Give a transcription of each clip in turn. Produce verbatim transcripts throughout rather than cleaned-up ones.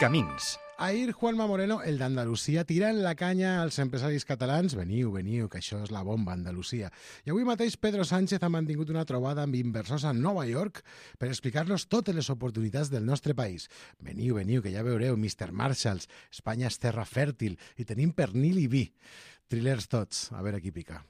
Camins. Ahir, Juanma Moreno, el d'Andalusia, tirant la canya als empresaris catalans. Veniu, veniu, que això és la bomba, Andalusia. I avui mateix Pedro Sánchez ha mantingut una trobada amb inversors a Nova York per explicar-los totes les oportunitats del nostre país. Veniu, veniu, que ja veureu, mister Marshalls, Espanya és terra fèrtil i tenim pernil i vi. Trilers tots, a veure qui pica.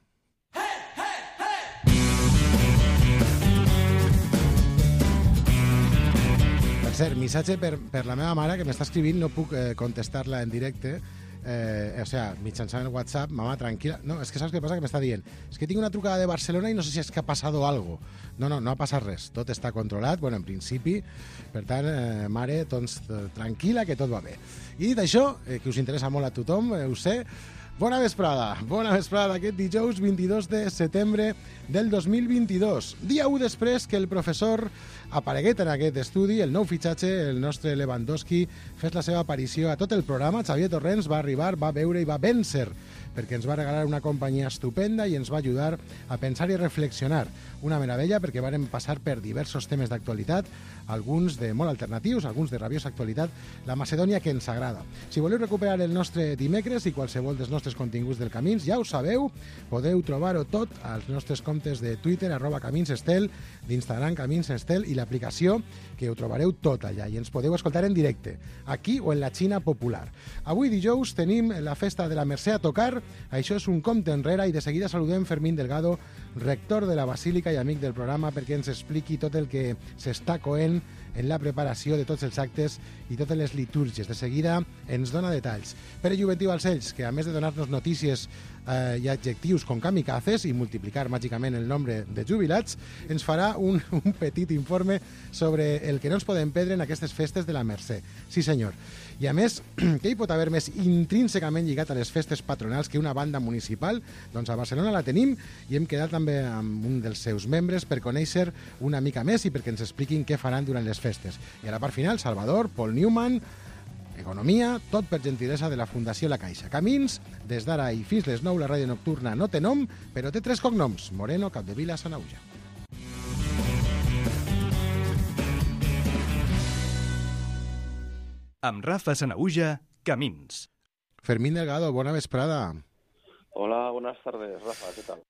Per cert, missatge per, per la meva mare, que m'està escrivint, no puc eh, contestar-la en directe, eh, o sea, mitjançant el WhatsApp. Mama, tranquil·la. No, és que saps què passa? Que m'està dient, és que tinc una trucada de Barcelona i no sé si és que ha passat algo. No, no, no ha passat res. Tot està controlat, bueno, en principi. Per tant, eh, mare, doncs, tranquil·la, que tot va bé. I dit això, eh, que us interessa molt a tothom, eh, ho sé, bona vesprada, bona vesprada aquest dijous vint-i-dos de setembre del dos mil vint-i-dos. Dia u després que el professor apareguet en aquest estudi, el nou fitxatge, el nostre Lewandowski, fes la seva aparició a tot el programa. Xavier Torrents va arribar, va veure i va vèncer, perquè ens va regalar una companyia estupenda i ens va ajudar a pensar i reflexionar. Una meravella, perquè vàrem passar per diversos temes d'actualitat, alguns de molt alternatius, alguns de rabiosa actualitat, la Macedònia que ens agrada. Si voleu recuperar el nostre dimecres i qualsevol dels nostres continguts del Camins, ja ho sabeu, podeu trobar-ho tot als nostres comptes de Twitter, arroba caminsestel, d'Instagram caminsestel i l'aplicació, que ho trobareu tot allà i ens podeu escoltar en directe, aquí o en la Xina popular. Avui dijous tenim la festa de la Mercè a tocar, això és un compte enrere i de seguida saludem Fermín Delgado, rector de la Basílica i amic del programa, perquè ens expliqui tot el que s'està coent en la preparació de tots els actes i totes les litúrgies. De seguida ens dona detalls. Pere Juventiu Balcells, que a més de donar-nos notícies eh, i adjectius com kamikazes i multiplicar màgicament el nombre de jubilats, ens farà un, un petit informe sobre el que no ens podem perdre en aquestes festes de la Mercè. Sí, senyor. I a més, què hi pot haver més intrínsecament lligat a les festes patronals que una banda municipal? Doncs a Barcelona la tenim i hem quedat també amb un dels seus membres per conèixer una mica més i perquè ens expliquin què faran durant les festes. I a la part final, Salvador, Paul Newman, economia, tot per gentilesa de la Fundació La Caixa. Camins, des d'ara i fins les nou, la ràdio nocturna no té nom, però té tres cognoms: Moreno, Capdevila, Sanaüja. Amb Rafa Sanaüja, Camins. Fermín Delgado, bona vesprada. Hola, buenas tardes, Rafa, ¿qué tal?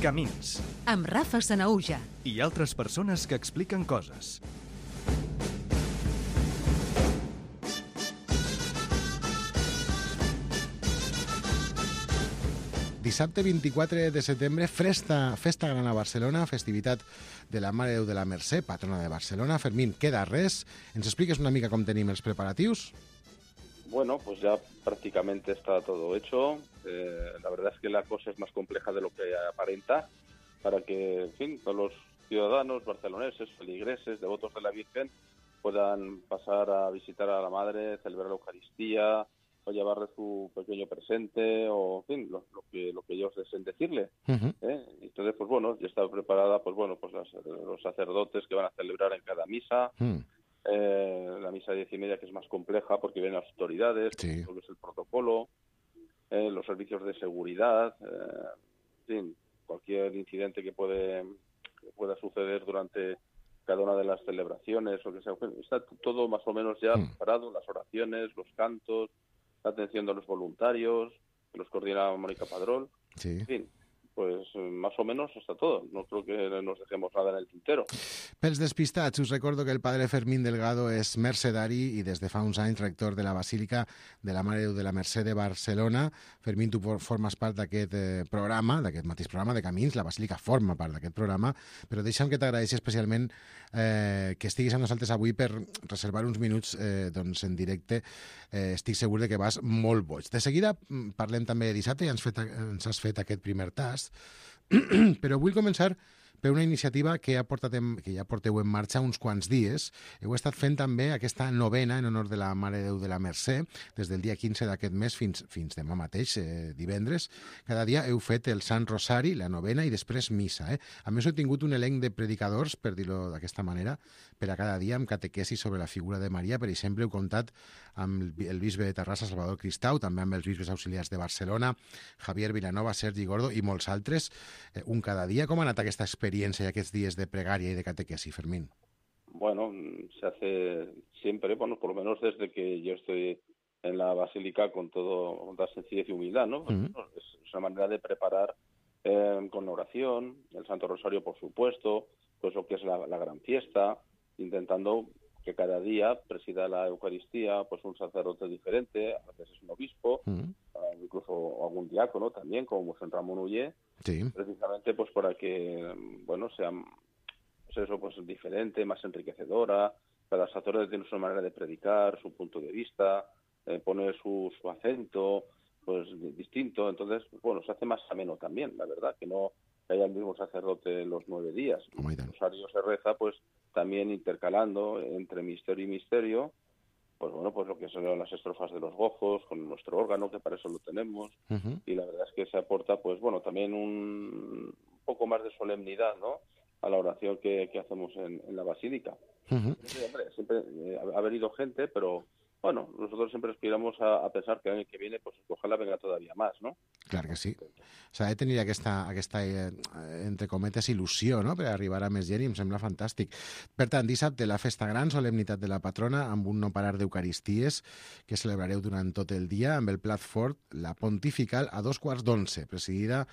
Camins. Amb Rafa Sanaüja. I altres persones que expliquen coses. Dissabte vint-i-quatre de setembre, festa, festa gran a Barcelona, festivitat de la Mare de Déu de la Mercè, patrona de Barcelona. Fermín, queda res? ¿Ens expliques una mica com tenim els preparatius? Bueno, pues ya prácticamente está todo hecho. Eh, la verdad es que la cosa es más compleja de lo que aparenta, para que, en fin, todos los ciudadanos barceloneses, feligreses, devotos de la Virgen, puedan pasar a visitar a la Madre, celebrar la Eucaristía, o llevarle su pequeño presente, o en fin, lo, lo que lo que ellos deseen decirle. Uh-huh. ¿eh? Entonces, pues bueno, ya está preparada, pues bueno, pues las, los sacerdotes que van a celebrar en cada misa, Uh-huh. eh, la misa de diez y media, que es más compleja porque vienen las autoridades, Sí. todo es el protocolo, eh, los servicios de seguridad, eh, en fin, cualquier incidente que puede que pueda suceder durante cada una de las celebraciones, o que sea, está todo más o menos ya Uh-huh. preparado, las oraciones, los cantos, la atención de los voluntarios, que los coordina Mónica Padrón, Sí. en fin, pues más o menos está todo. No creo que nos dejemos nada en el tintero. Pels despistats, us recordo que el padre Fermín Delgado és mercedari i des de fa uns anys rector de la Basílica de la Mare de Déu de la Mercè de Barcelona. Fermín, tu formes part d'aquest eh, programa, d'aquest mateix programa de Camins, la Basílica forma part d'aquest programa, però deixa'm que t'agraeixi especialment eh, que estiguis amb nosaltres avui per reservar uns minuts eh, doncs, en directe. Eh, estic segur de que vas molt boig. De seguida parlem també de dissabte i ens, fet, ens has fet aquest primer tast, però vull començar per una iniciativa que, ha portat en, que ja porteu en marxa uns quants dies. Heu estat fent també aquesta novena en honor de la Mare de Déu de la Mercè, des del dia quinze d'aquest mes fins, fins demà mateix, eh, divendres. Cada dia heu fet el Sant Rosari, la novena i després missa. Eh? A més, heu tingut un elenc de predicadors, per dir-ho d'aquesta manera, per a cada dia amb catequesi sobre la figura de Maria. Per exemple, heu comptat amb el bisbe de Terrassa, Salvador Cristau, també amb els bisbes auxiliars de Barcelona, Javier Vilanova, Sergi Gordo i molts altres, eh, un cada dia. Com ha anat aquesta experiència experiencia y aquests días de pregaria y de catequesis, Fermín? Bueno, se hace siempre, bueno, por lo menos desde que yo estoy en la Basílica con todo, con toda sencillez y humildad, ¿no? Mm. Es una manera de preparar eh, con la oración, el Santo Rosario, por supuesto, pues lo que es la, la gran fiesta, intentando que cada día presida la Eucaristía pues un sacerdote diferente, a veces es un obispo, Mm. uh, incluso algún diácono también, como San Ramón Ullé, Sí. precisamente pues para que, bueno, sea pues eso, pues diferente, más enriquecedora. Cada sacerdote tiene su manera de predicar, su punto de vista, eh, pone su, su acento, pues distinto. Entonces, bueno, se hace más ameno también, la verdad, que no que haya el mismo sacerdote los nueve días. Oh, el rosario se reza, pues también intercalando entre misterio y misterio, pues bueno, pues lo que son las estrofas de los gozos, con nuestro órgano, que para eso lo tenemos, Uh-huh. y la verdad es que se aporta, pues bueno, también un, un poco más de solemnidad, ¿no?, a la oración que, que hacemos en, en la Basílica. Uh-huh. Sí, hombre, siempre eh, ha venido gente, pero bueno, nosotros siempre aspiramos a, a pensar que el año que viene, pues ojalá venga todavía más, ¿no? Clar que sí. S'ha de tenir aquesta, aquesta eh, entre cometes, il·lusió, no?, per arribar a més gent, i em sembla fantàstic. Per tant, dissabte, la festa gran, solemnitat de la patrona, amb un no parar d'eucaristies que celebrareu durant tot el dia, amb el plat fort, la pontifical, a dos quarts d'onze, presidida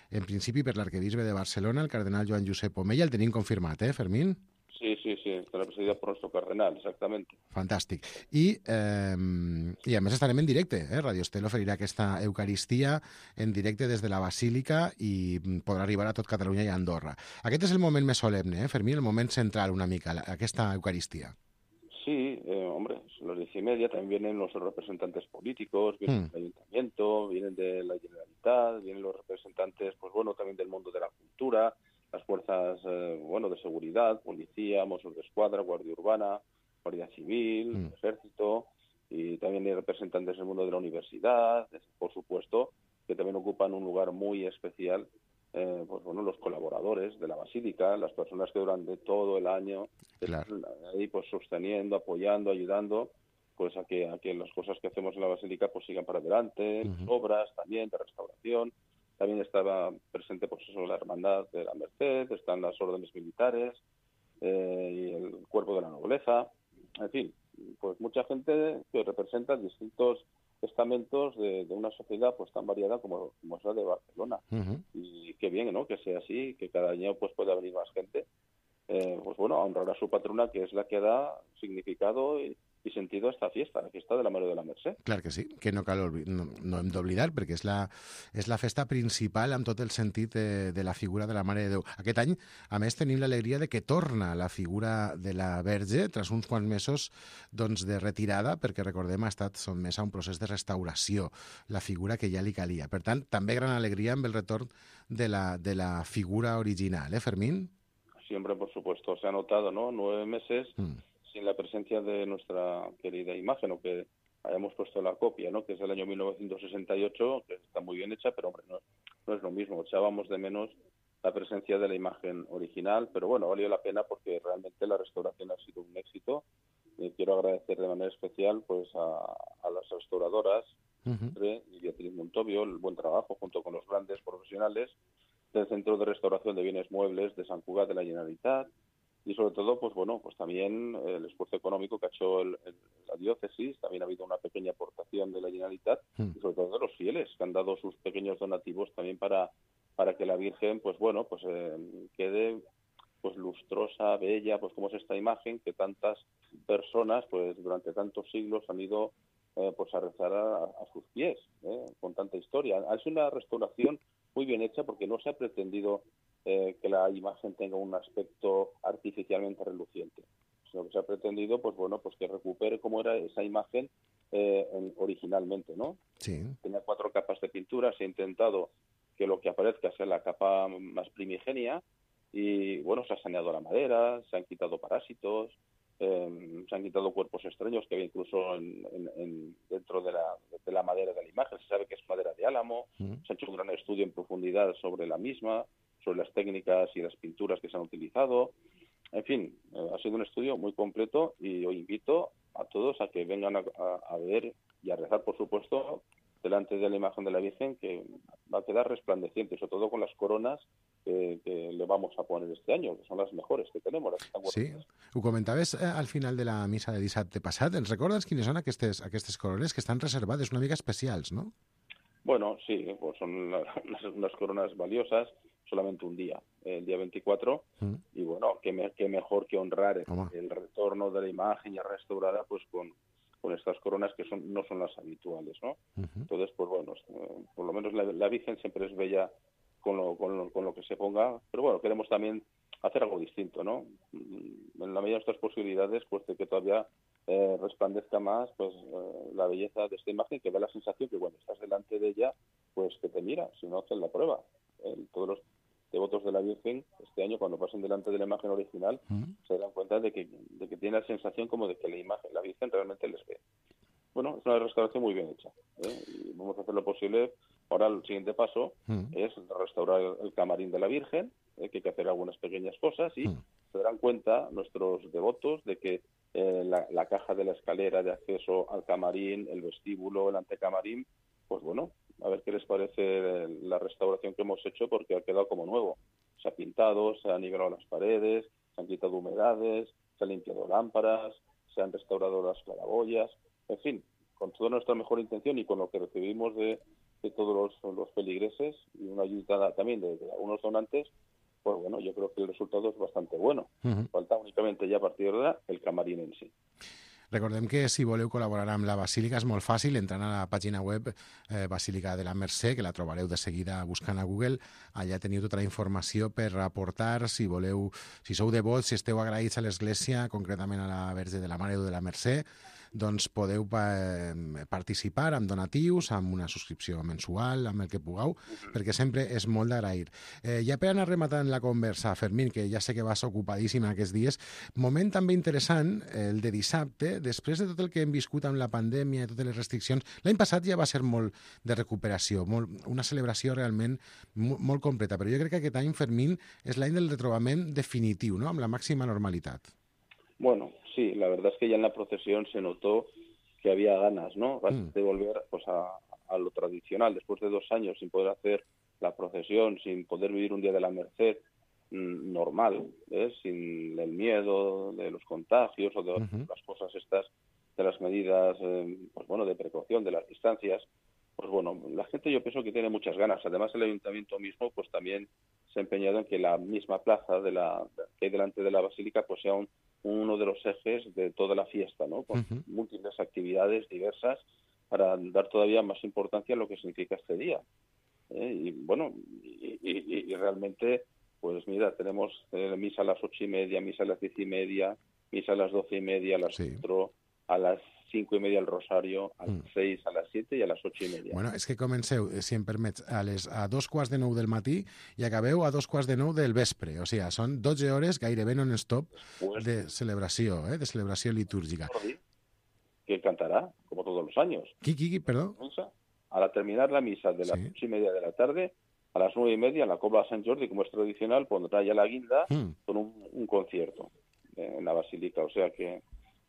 en principi per l'arquebisbe de Barcelona, el cardenal Joan Josep Omella. El tenim confirmat, eh, Fermín? Sí, sí, sí, estarà presidida por nuestro cardenal, exactamente. Fantàstic. I, eh, i a més estarem en directe, eh? Radio Estel oferirà aquesta Eucaristia en directe des de la Basílica i podrà arribar a tot Catalunya i a Andorra. Aquest és el moment més solemne, eh, Fermín, el moment central una mica, aquesta Eucaristia. Sí, eh, hombre, son las diez y media, también vienen los representantes políticos, vienen Hmm. del Ayuntamiento, vienen de la Generalitat, vienen los representantes, pues bueno, también del mundo de la cultura, las fuerzas, eh, bueno, de seguridad, policía, Mossos de Escuadra, Guardia Urbana, Guardia Civil, Hmm. Ejército, y también hay representantes del mundo de la universidad, por supuesto, que también ocupan un lugar muy especial. Eh, pues bueno, los colaboradores de la Basílica, las personas que durante todo el año Claro. están ahí pues sosteniendo, apoyando, ayudando pues a que a que las cosas que hacemos en la Basílica pues sigan para adelante, Ujú. las obras también de restauración. También estaba presente pues eso, la Hermandad de la Merced, están las órdenes militares eh, y el cuerpo de la nobleza, en fin, pues mucha gente que representa distintos estamentos de, de una sociedad pues tan variada como, como es la de Barcelona. Uh-huh. Y qué bien, ¿no?, que sea así, que cada año pues pueda venir más gente, eh, pues bueno, a honrar a su patrona, que es la que da significado y, i sentido a esta fiesta, la fiesta de la Mare de la Mercè. Clar que sí, que no cal olvi- no, no hem d'oblidar, perquè és la, és la festa principal amb tot el sentit de, de la figura de la Mare de Déu. Aquest any, a més, tenim l'alegria de que torna la figura de la Verge tras uns quants mesos doncs, de retirada, perquè recordem ha estat sotmesa a un procés de restauració, la figura que ja li calia. Per tant, també gran alegria amb el retorn de la, de la figura original, eh, Fermín? Siempre, por supuesto, se ha notado, ¿no?, nueve meses Mm. sin la presencia de nuestra querida imagen, o que hayamos puesto la copia, ¿no?, que es del año mil novecientos sesenta y ocho, que está muy bien hecha, pero hombre, no, no es lo mismo. Echábamos de menos la presencia de la imagen original, pero bueno, valió la pena porque realmente la restauración ha sido un éxito. Y quiero agradecer de manera especial pues a, a las restauradoras, Uh-huh. y Beatriz Montovio, el buen trabajo junto con los grandes profesionales del Centro de Restauración de Bienes Muebles de Sant Cugat de la Generalitat, y sobre todo, pues bueno, pues también el esfuerzo económico que ha hecho el, el, la diócesis. También ha habido una pequeña aportación de la Generalitat, Mm. y sobre todo de los fieles, que han dado sus pequeños donativos también para, para que la Virgen, pues bueno, pues eh, quede pues lustrosa, bella, pues como es esta imagen que tantas personas, pues durante tantos siglos han ido eh, pues a rezar a, a sus pies, ¿eh?, con tanta historia. Ha sido una restauración muy bien hecha porque no se ha pretendido eh, que la imagen tenga un aspecto artificialmente reluciente, sino que se ha pretendido, pues bueno, pues que recupere cómo era esa imagen eh, en, originalmente, ¿no? Sí. Tenía cuatro capas de pintura, se ha intentado que lo que aparezca sea la capa más primigenia, y bueno, se ha saneado la madera, se han quitado parásitos, eh, se han quitado cuerpos extraños que había incluso en, en, en, dentro de la, de la madera de la imagen. Se sabe que es madera de álamo. Mm. Se ha hecho un gran estudio en profundidad sobre la misma, sobre las técnicas y las pinturas que se han utilizado. En fin, eh, ha sido un estudio muy completo, y os invito a todos a que vengan a, a, a ver y a rezar, por supuesto, delante de la imagen de la Virgen, que va a quedar resplandeciente, sobre todo con las coronas que, que le vamos a poner este año, que son las mejores que tenemos. Las que están sí, guardadas. ho comentaves eh, al final de la missa de dissabte passat. Ens recordes quines són aquestes, aquestes corones que estan reservades, una mica especials, no? Bueno, sí, pues son la- unas, unas coronas valiosas, solamente un día, el día veinticuatro, Mm. y bueno, qué, me- qué mejor que honrar Home. el retorno de la imagen ya restaurada pues con, con estas coronas que son no son las habituales, ¿no? Uh-huh. Entonces, pues bueno, eh, por lo menos la, la Virgen siempre es bella con lo, con, lo, con lo que se ponga, pero bueno, queremos también hacer algo distinto, ¿no? Mm, En la medida de nuestras posibilidades, pues de que todavía eh, resplandezca más pues eh, la belleza de esta imagen, que da la sensación que cuando estás delante de ella, pues que te mira, si no hacen la prueba. Eh, todos los devotos de la Virgen, este año, cuando pasen delante de la imagen original, Mm. se dan cuenta de que, de que tiene la sensación como de que la imagen, la Virgen realmente les ve. Bueno, es una restauración muy bien hecha, ¿eh? Y vamos a hacer lo posible. Ahora el siguiente paso Mm. es restaurar el, el camarín de la Virgen, ¿eh? Que hay que hacer algunas pequeñas cosas y Mm. se darán cuenta nuestros devotos de que eh, la, la caja de la escalera de acceso al camarín, el vestíbulo, el antecamarín, pues bueno, a ver qué les parece la restauración que hemos hecho, porque ha quedado como nuevo. Se ha pintado, se han nivelado las paredes, se han quitado humedades, se han limpiado lámparas, se han restaurado las claraboyas, en fin, con toda nuestra mejor intención y con lo que recibimos de, de todos los, los feligreses y una ayuda también de, de algunos donantes, pues bueno, yo creo que el resultado es bastante bueno. Uh-huh. Falta únicamente ya a partir de ahora el camarín en sí. Recordem que si voleu col·laborar amb la Basílica és molt fàcil, entrant a la pàgina web eh, Basílica de la Mercè, que la trobareu de seguida buscant a Google. Allà teniu tota la informació per aportar, si voleu, si sou devots, si esteu agraïts a l'Església, concretament a la Verge de la Mare de la Mercè, doncs podeu pa participar amb donatius, amb una subscripció mensual, amb el que pugueu, perquè sempre és molt d'agrair. Eh, ja per anar rematant la conversa, Fermín, que ja sé que vas ocupadíssim aquests dies, moment també interessant, el de dissabte, després de tot el que hem viscut amb la pandèmia i totes les restriccions, l'any passat ja va ser molt de recuperació, molt, una celebració realment molt, molt completa, però jo crec que aquest any, Fermín, és l'any del retrobament definitiu, no?, amb la màxima normalitat. Bueno, sí, la verdad es que ya en la procesión se notó que había ganas, ¿no? Mm. De volver pues a, a lo tradicional, después de dos años sin poder hacer la procesión, sin poder vivir un día de la Merced mmm, normal, ¿eh? Sin el miedo de los contagios o de Uh-huh. las cosas estas, de las medidas, eh, pues bueno, de precaución, de las distancias. Pues bueno, la gente yo pienso que tiene muchas ganas. Además, el ayuntamiento mismo pues también se ha empeñado en que la misma plaza de la que hay delante de la basílica pues sea un, uno de los ejes de toda la fiesta, ¿no? Con Uh-huh. múltiples actividades diversas para dar todavía más importancia a lo que significa este día. ¿eh? Y bueno, y, y, y realmente, pues mira, tenemos eh, misa a las ocho y media, misa a las diez y media, misa a las doce y media, a las Sí. cuatro, a las cinco y media el rosario, a las Mm. seis, a las siete y a las ocho y media. Bueno, és que comenceu, eh, si em permets, a, les, a dos quarts de nou del matí i acabeu a dos quarts de nou del vespre. O sigui, són dotze hores gairebé non-stop Pues, de celebració, eh, de celebració litúrgica. Jordi, que cantará, como todos los años. Qui, qui, qui, perdó? Misa. Al terminar la misa de las Sí. ocho y media de la tarde, a las nueve y media, en la Cobla de San Jordi, como es tradicional, pondrá ya la guinda Mm. con un, un concierto eh, en la basílica. O sea que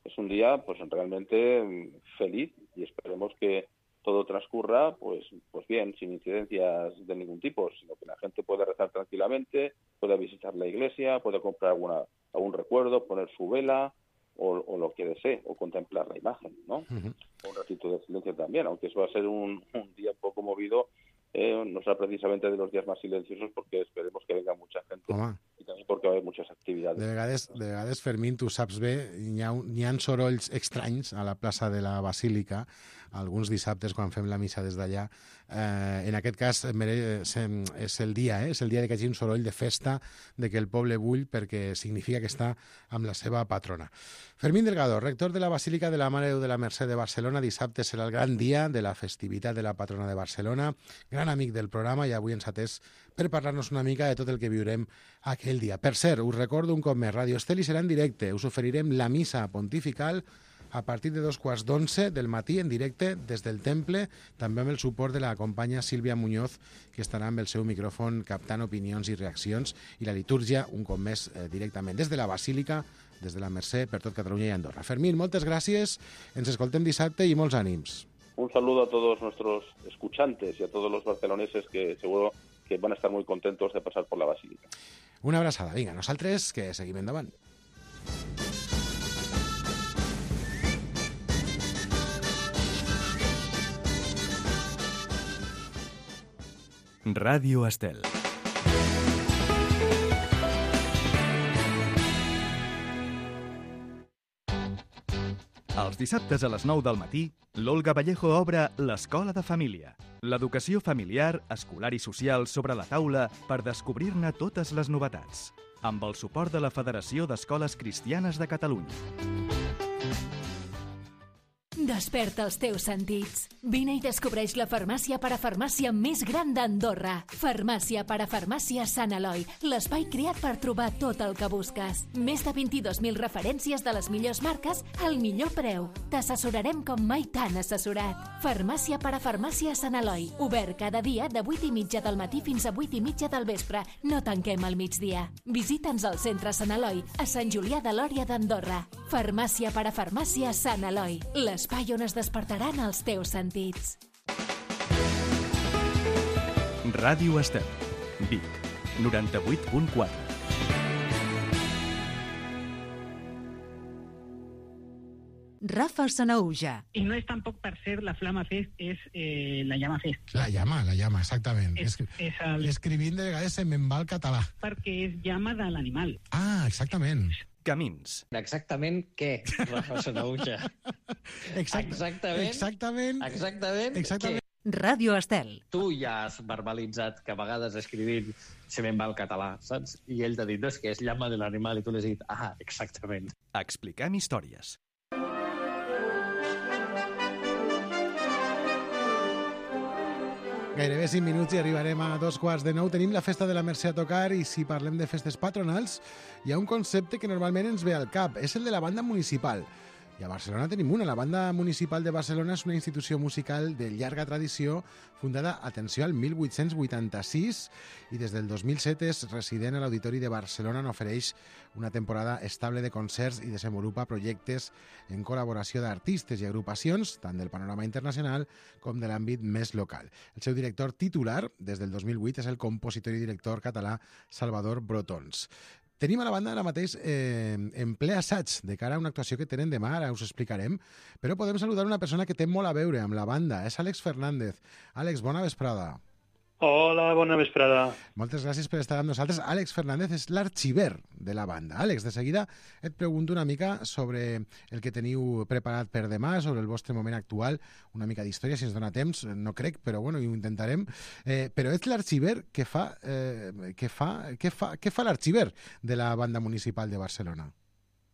es un día pues realmente mm, feliz y esperemos que todo transcurra pues pues bien, sin incidencias de ningún tipo, sino que la gente pueda rezar tranquilamente, pueda visitar la iglesia, pueda comprar alguna algún recuerdo, poner su vela o, o lo que desee, o contemplar la imagen, ¿no? Uh-huh. Un ratito de silencio también, aunque eso va a ser un, un día un poco movido, eh, no será precisamente de los días más silenciosos porque esperemos que venga mucha gente. Home, I també perquè va haver muchas actividades. de vegades, de vegades, Fermín, tu saps bé, hi ha, un- hi ha sorolls estranys a la plaça de la Basílica, alguns dissabtes quan fem la missa des d'allà. Eh, en aquest cas mere- sem- és el dia, eh? és el dia de que hi hagi un soroll de festa, de que el poble bull, perquè significa que està amb la seva patrona. Fermín Delgado, rector de la Basílica de la Mare de Déu de la Mercè de Barcelona. Dissabte serà el gran dia de la festivitat de la patrona de Barcelona, gran amic del programa, i avui ens ha atès per parlar-nos una mica de tot el que viurem aquell dia. Per cert, us recordo un cop més, Radio Esteli serà en directe. Us oferirem la missa pontifical a partir de dos quarts d'onze del matí en directe des del temple, també amb el suport de la companya Sílvia Muñoz, que estarà amb el seu micròfon captant opinions i reaccions, i la litúrgia, un cop més, eh, directament des de la Basílica, des de la Mercè, per tot Catalunya i Andorra. Fermín, moltes gràcies, ens escoltem dissabte i molts ànims. Un saludo a todos nuestros escuchantes y a todos los barceloneses que seguro que van a estar muy contentos de pasar por la Basílica. Una abraçada. Vinga, nosaltres que seguim endavant. Ràdio Estel. Els dissabtes a les nou del matí, l'Olga Vallejo obre l'Escola de Família. L'educació familiar, escolar i social sobre la taula per descobrir-ne totes les novetats. Amb el suport de la Federació d'Escoles Cristianes de Catalunya. Desperta els teus sentits. Vine i descobreix la farmàcia parafarmàcia més gran d'Andorra. Farmàcia parafarmàcia Sant Eloi, l'espai creat per trobar tot el que busques. Més de vint-i-dos mil referències de les millors marques al millor preu. T'assessorarem com mai t'han assessorat. Farmàcia parafarmàcia Sant Eloi, obert cada dia de vuit i mitja del matí fins a vuit i mitja del vespre. No tanquem al migdia. Visita'ns al centre Sant Eloi, a Sant Julià de Lòria d'Andorra. Farmàcia parafarmàcia Sant Eloi, l'espai on es despertaran els teus sentits. Ràdio Estel, Vic, noranta-vuit punt quatre. Rafa Sanahuja. Y no es tampoco per ser la Flama Fest, és eh, la Llama Fest. La llama, la llama, exactament. És, és el... Escrivint de vegades se'n me'n va el català. Perquè és llama de l'animal. Ah, exactament. Camins. Exactament què, Rafa Sanahuja? Exact, Exactament. Exactament. Exactament. Exactament. Ràdio Estel. Tu ja has verbalitzat que a vegades escrivint se me'n va el català, saps? I ell t'ha dit, no, és que és llama de l'animal, i tu l'has dit, ah, exactament. Expliquem històries. Gairebé cinc minuts i arribarem a dos quarts de nou. Tenim la festa de la Mercè a tocar i si parlem de festes patronals hi ha un concepte que normalment ens ve al cap. És el de la banda municipal. I a Barcelona tenim una. La Banda Municipal de Barcelona és una institució musical de llarga tradició, fundada, atenció, al mil vuit-cents vuitanta-sis i des del dos mil set és resident a l'Auditori de Barcelona, on ofereix una temporada estable de concerts i desenvolupa projectes en col·laboració d'artistes i agrupacions, tant del panorama internacional com de l'àmbit més local. El seu director titular, des del dos mil vuit, és el compositor i director català Salvador Brotons. Tenim a la banda ara mateix eh, en ple assaig de cara a una actuació que tenen demà, ara us explicarem, però podem saludar una persona que té molt a veure amb la banda, és Àlex Fernández. Àlex, bona vesprada. Hola, bona vesprada. Moltes gràcies per estar amb nosaltres. Àlex Fernández és l'arxiver de la banda. Àlex, de seguida et pregunto una mica sobre el que teniu preparat per demà, sobre el vostre moment actual, una mica d'història, si ens dona temps, no crec, però bueno, ho intentarem. Eh, però ets l'arxiver que fa, eh, que fa, que fa, que fa l'arxiver de la banda municipal de Barcelona?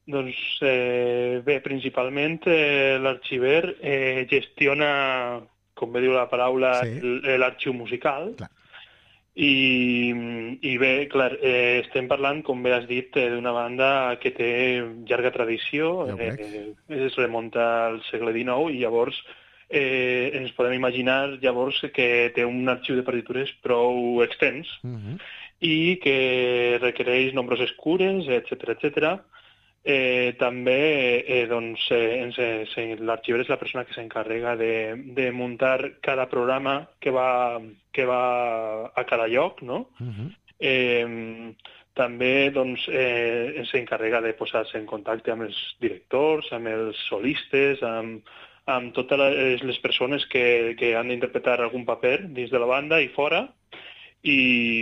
Doncs eh, bé, principalment eh, l'arxiver eh, gestiona, com bé diu la paraula, sí. l'arxiu musical. Clar. I, i bé, clar, eh, estem parlant, com bé has dit, eh, d'una banda que té llarga tradició, Ja ho crec. eh, es remunta al segle dinou i llavors eh, ens podem imaginar llavors que té un arxiu de partitures prou extens Uh-huh. i que requereix nombroses cures, etcètera, etcètera. Eh, també eh, doncs, eh, ens, eh, l'arxiver és la persona que s'encarrega de, de muntar cada programa que va, que va a cada lloc, no? Uh-huh. Eh, també doncs, eh, s'encarrega de posar-se en contacte amb els directors, amb els solistes, amb, amb totes les, les persones que, que han d'interpretar algun paper dins de la banda i fora, i,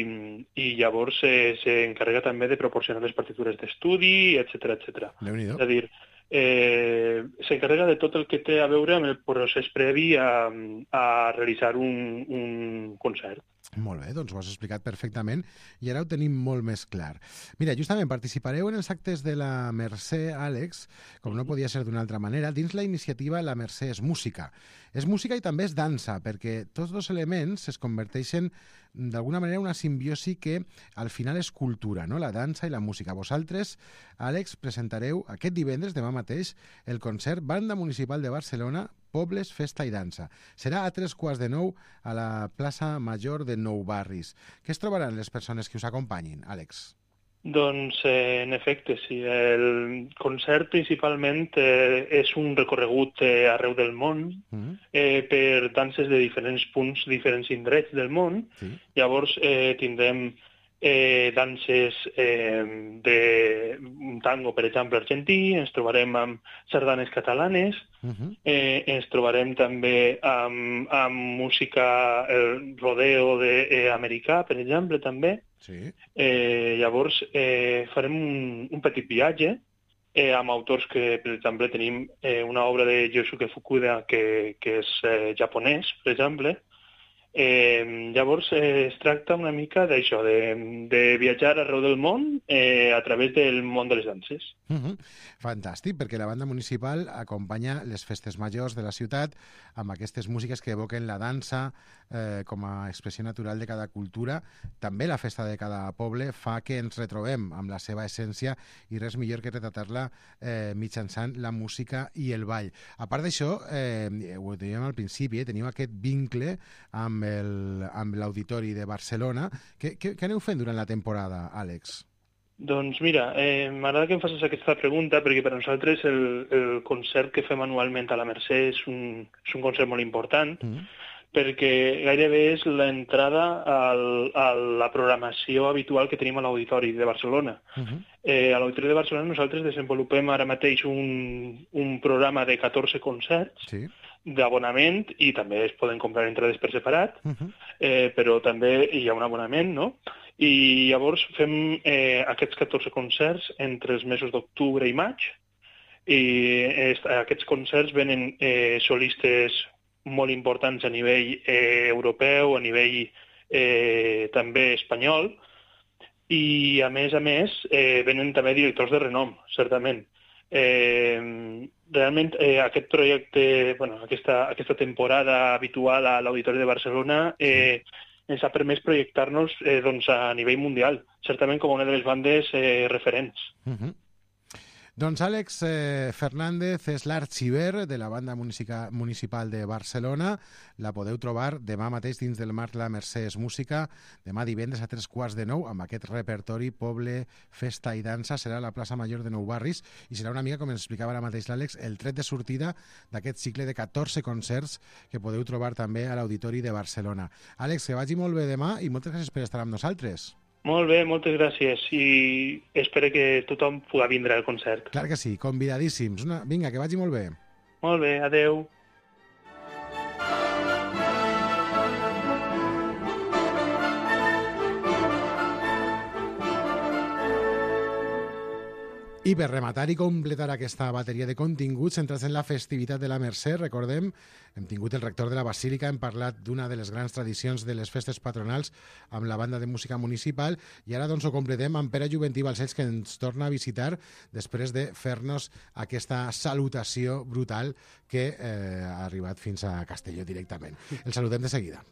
i llavors eh, s'encarrega també de proporcionar les partitures d'estudi, etcètera, etcètera. Déu-n'hi-do. És a dir, eh, s'encarrega de tot el que té a veure amb el procés previ a, a realitzar un, un concert. Molt bé, doncs ho has explicat perfectament i ara ho tenim molt més clar. Mira, justament participareu en els actes de la Mercè, Àlex, com no podia ser d'una altra manera, dins la iniciativa La Mercè és música. És música i també és dansa, perquè tots dos elements es converteixen d'alguna manera en una simbiosi que al final és cultura, no? La dansa i la música. Vosaltres, Àlex, presentareu aquest divendres, demà mateix, el concert Banda Municipal de Barcelona, Pobles, Festa i Dansa. Serà a tres quarts de nou a la plaça Major de Nou Barris. Què es trobaran les persones que us acompanyin, Àlex? Doncs, eh, en efecte, sí. El concert principalment eh, és un recorregut eh, arreu del món Mm. eh, per danses de diferents punts, diferents indrets del món. Sí. Llavors eh, tindrem eh, danses eh, de un tango, per exemple, argentí, ens trobarem amb sardanes catalanes, Mhm. eh, ens trobarem també amb, amb música, el rodeo de, eh, americà, per exemple, també. Sí. Eh, llavors, eh, farem un, un petit viatge eh, amb autors que, per exemple, tenim eh, una obra de Yosuke Fukuda que, que és eh, japonès, per exemple. Eh, llavors, eh, es tracta una mica d'això, de, de viatjar arreu del món eh, a través del món de les danses. Mhm. Fantàstic, perquè la banda municipal acompanya les festes majors de la ciutat amb aquestes músiques que evoquen la dansa eh, com a expressió natural de cada cultura. També la festa de cada poble fa que ens retrobem amb la seva essència i res millor que retratar-la eh, mitjançant la música i el ball. A part d'això, eh, ho dèiem al principi, eh, teniu aquest vincle amb el- amb l'Auditori de Barcelona. Què, què, què aneu fent durant la temporada, Àlex? Doncs mira, eh, m'agrada que em facis aquesta pregunta perquè per nosaltres el, el concert que fem anualment a la Mercè és un, és un concert molt important Mm. perquè gairebé és l'entrada al, a la programació habitual que tenim a l'Auditori de Barcelona. Mhm. Eh, a l'Auditori de Barcelona nosaltres desenvolupem ara mateix un, un programa de catorze concerts Sí. d'abonament i també es poden comprar entrades per separat, Mhm. eh, però també hi ha un abonament, no? I llavors fem eh, aquests catorze concerts entre els mesos d'octubre i maig i est, aquests concerts venen eh, solistes molt importants a nivell eh, europeu, a nivell eh, també espanyol i a més a més eh, venen també directors de renom, certament. Eh, realment eh, aquest projecte, bueno, aquesta, aquesta temporada habitual a l'Auditori de Barcelona eh, ens ha permès projectar-nos eh, doncs, a nivell mundial, certament com una de les bandes eh, referents. Mhm. Doncs Àlex eh, Fernández és l'arxiver de la banda munica- municipal de Barcelona. La podeu trobar demà mateix dins del Marc La Mercè és Música, demà divendres a tres quarts de nou, amb aquest repertori Poble, Festa i Dansa. Serà a la plaça Major de Nou Barris i serà una mica, com ens explicava ara mateix l'Àlex, el tret de sortida d'aquest cicle de catorze concerts que podeu trobar també a l'Auditori de Barcelona. Àlex, que vagi molt bé demà i moltes gràcies per estar amb nosaltres. Molt bé, moltes gràcies i espero que tothom pugui vindre al concert. Clar que sí, convidadíssims. Una... Vinga, que vagi molt bé. Molt bé, adeu. I per rematar i completar aquesta bateria de continguts centrats en la festivitat de la Mercè, recordem, hem tingut el rector de la Basílica, hem parlat d'una de les grans tradicions de les festes patronals amb la banda de música municipal i ara doncs ho completem amb Pere Juventí Balcells, que ens torna a visitar després de fer-nos aquesta salutació brutal que eh, ha arribat fins a Castelló directament. El saludem de seguida.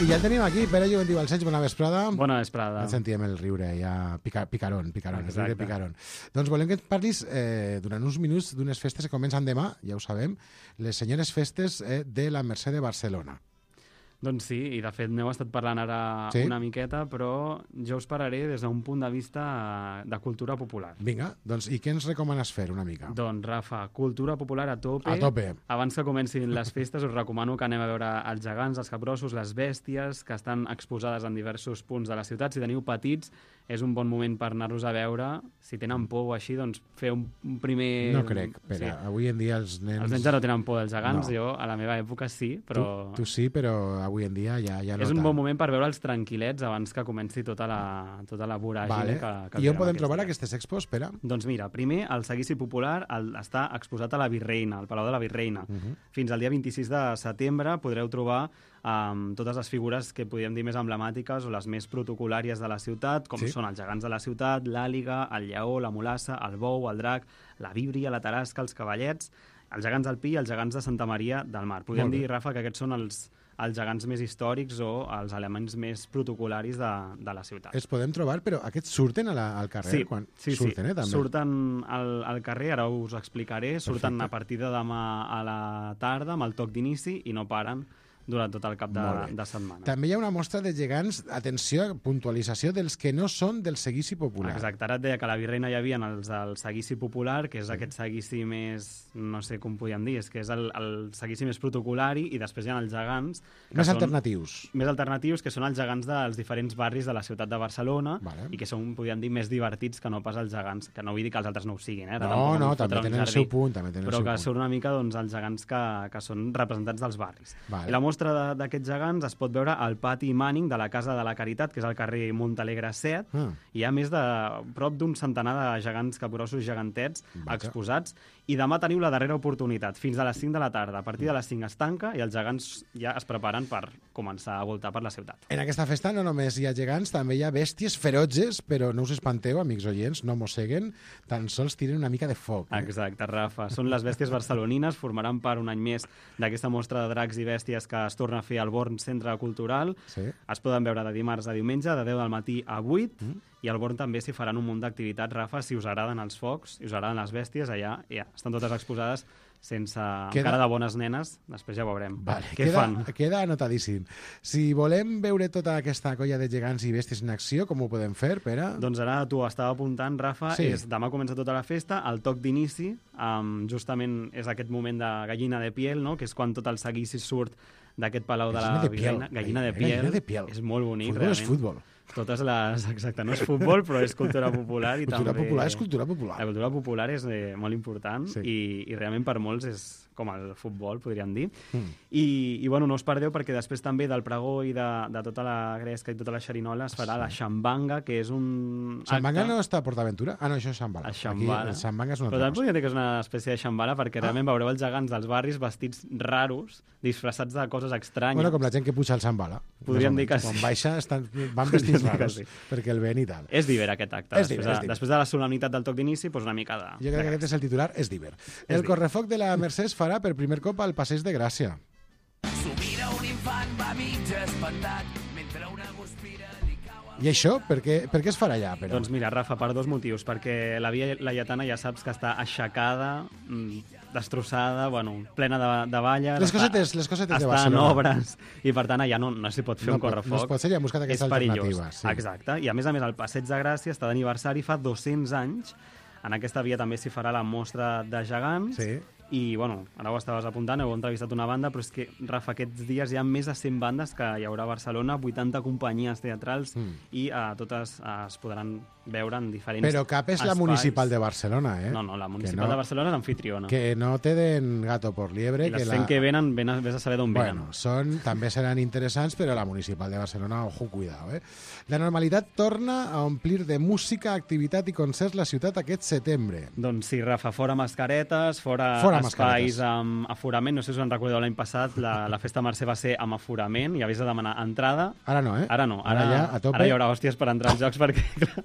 I ja el tenim aquí, Pere Juventí Balcells, bona vesprada. Bona vesprada. Ja sentíem el riure, ja pica, picaron, picaron, el riure picaron. Doncs volem que et parlis eh, durant uns minuts d'unes festes que comencen demà, ja ho sabem, les senyores festes eh, de la Mercè de Barcelona. Doncs sí, i de fet n'heu estat parlant ara Sí? una miqueta, però jo us parlaré des d'un punt de vista de cultura popular. Vinga, doncs i què ens recomanes fer una mica? Doncs, Rafa, cultura popular a tope. A tope. Abans que comencin les festes us recomano que anem a veure els gegants, els capgrossos, les bèsties, que estan exposades en diversos punts de la ciutat. Si teniu petits, és un bon moment per anar-los a veure. Si tenen por o així, doncs fer un, un primer... No crec, Pere. Sí. Avui en dia els nens... Els nens ja no tenen por dels gegants, No. jo a la meva època sí, però... Tu, tu sí, però avui en dia ja, ja no és un tant. bon moment per veure'ls tranquil·lets abans que comenci tota la, tota la voràgine Vale. que, que I on tenen podem aquests trobar dies. aquestes expos, Pere? Doncs mira, primer el seguici popular el, està exposat a la Virreina, al Palau de la Virreina. Uh -huh. Fins al dia vint-i-sis de setembre podreu trobar um, totes les figures que podríem dir més emblemàtiques o les més protocolàries de la ciutat, com Sí. són els gegants de la ciutat, l'àliga, el lleó, la mulassa, el bou, el drac, la víbria, la tarasca, els cavallets, els gegants del Pi i els gegants de Santa Maria del Mar. Podríem Molt bé. dir, Rafa, que aquests són els, els gegants més històrics o els elements més protocolaris de, de la ciutat. Els podem trobar, però aquests surten a la, al carrer? Sí, quan... sí, surten, sí. eh, també? Surten al, al carrer, ara us ho explicaré, surten Perfecte. a partir de demà a la tarda amb el toc d'inici i no paren durant tot el cap de, de setmana. També hi ha una mostra de gegants, atenció, puntualització dels que no són del seguici popular. Exacte, ara et deia que a la Virreina hi havia els del seguici popular, que és sí. aquest seguici més, no sé com podíem dir, és que és el, el seguici més protocolari, i després hi ha els gegants... Més són, alternatius. Més alternatius, que són els gegants dels diferents barris de la ciutat de Barcelona, vale. I que són, podríem dir, més divertits que no pas els gegants, que no vull dir que els altres no ho siguin, eh? Ara no, no, també tenen el seu punt, també tenen però el seu que punt. són una mica doncs, els gegants que, que són representants dels barris. Vale. I la mostra d'aquests gegants es pot veure al pati Manning de la Casa de la Caritat, que és al carrer Montalegre set. Ah. Hi ha més de prop d'un centenar de gegants capgrossos gegantets Vaja. exposats, i demà teniu la darrera oportunitat, fins a les cinc de la tarda. A partir de les cinc es tanca i els gegants ja es preparen per començar a voltar per la ciutat. En aquesta festa no només hi ha gegants, també hi ha bèsties ferotges, però no us espanteu, amics oients, no mosseguen, tan sols tiren una mica de foc. Eh? Exacte, Rafa. Són les bèsties barcelonines, formaran part un any més d'aquesta mostra de dracs i bèsties que es torna a fer al Born Centre Cultural. Sí. Es poden veure de dimarts a diumenge, de deu del matí a vuit, mm. i al Born també s'hi faran un munt d'activitats, Rafa, si us agraden els focs, si us agraden les bèsties, allà ja estan totes exposades sense queda... cara de bones nenes, després ja veurem vale, què queda, fan. Queda anotadíssim. Si volem veure tota aquesta colla de gegants i bèsties en acció, com ho podem fer, Pere? Doncs ara tu estava apuntant, Rafa, sí. és demà comença tota la festa, el toc d'inici, um, justament és aquest moment de gallina de piel, no? Que és quan tot el seguici surt d'aquest palau de la Virreina. Gallina de piel. Gallina de piel. És molt bonic, futbol realment. És futbol. Totes les... Exacte, no és futbol, però és cultura popular. I cultura també... popular és cultura popular. La cultura popular és eh, molt important sí. i, i realment per molts és com el futbol, podríem dir. Mm. I, I, bueno, no us perdeu perquè després també del pregó i de, de tota la gresca i tota la xerinola es farà sí. la xambanga, que és un Xambanga acte... no està a Portaventura? Ah, no, això és xambala. El xambala. Aquí, el xambanga és una però altra també podria dir que és una espècie de xambala perquè ah. realment veureu els gegants dels barris vestits raros, disfressats de coses estranyes. Bueno, com la gent que puja al xambala. Podríem dir que sí. Quan baixa estan, van vestits raros sí. perquè el ven i tal. És diver aquest acte. És després, diver, és de, diver. després de la solemnitat del toc d'inici, doncs una mica de... Jo crec que aquest és el titular, és diver. És el correfoc de la Mercè es farà per primer cop al Passeig de Gràcia. S'ho mira un infant, va mig espantat, mentre una guspira li cau... I això, per què, per què es farà allà? Però? Doncs mira, Rafa, per dos motius. Perquè la Via Laietana ja saps que està aixecada, destrossada, bueno, plena de, de valles... Les cosetes, les cosetes de Barcelona. Està en obres, no. i per tant allà no, no s'hi pot fer no un correfoc. No es pot ser, ja hem buscat aquesta alternativa. Sí. Exacte, i a més a més el Passeig de Gràcia està d'aniversari fa dos-cents anys. En aquesta via també s'hi farà la mostra de gegants. Sí. I, bueno, ara ho estaves apuntant, heu entrevistat una banda, però és que, Rafa, aquests dies hi ha més de cent bandes que hi haurà a Barcelona, vuitanta companyies teatrals, mm. i uh, totes uh, es podran veure en diferents Però cap és espais. La Municipal de Barcelona, eh? No, no, la Municipal no, de Barcelona és anfitriona. Que no te den gato por liebre. I les que cent la... que venen, ven a, ves a saber d'on bueno, venen. Són, també seran interessants, però la Municipal de Barcelona, ojo, cuidado, eh? La normalitat torna a omplir de música, activitat i concerts la ciutat aquest setembre. Doncs sí, Rafa, fora mascaretes, fora, fora espais mascaretes. Amb aforament. No sé si us en recordeu, l'any passat la, la festa Mercè va ser amb aforament i havies de demanar entrada. Ara no, eh? Ara no. Ara, ara, ja, a tope. Ara hi haurà hòsties per entrar als jocs perquè clar,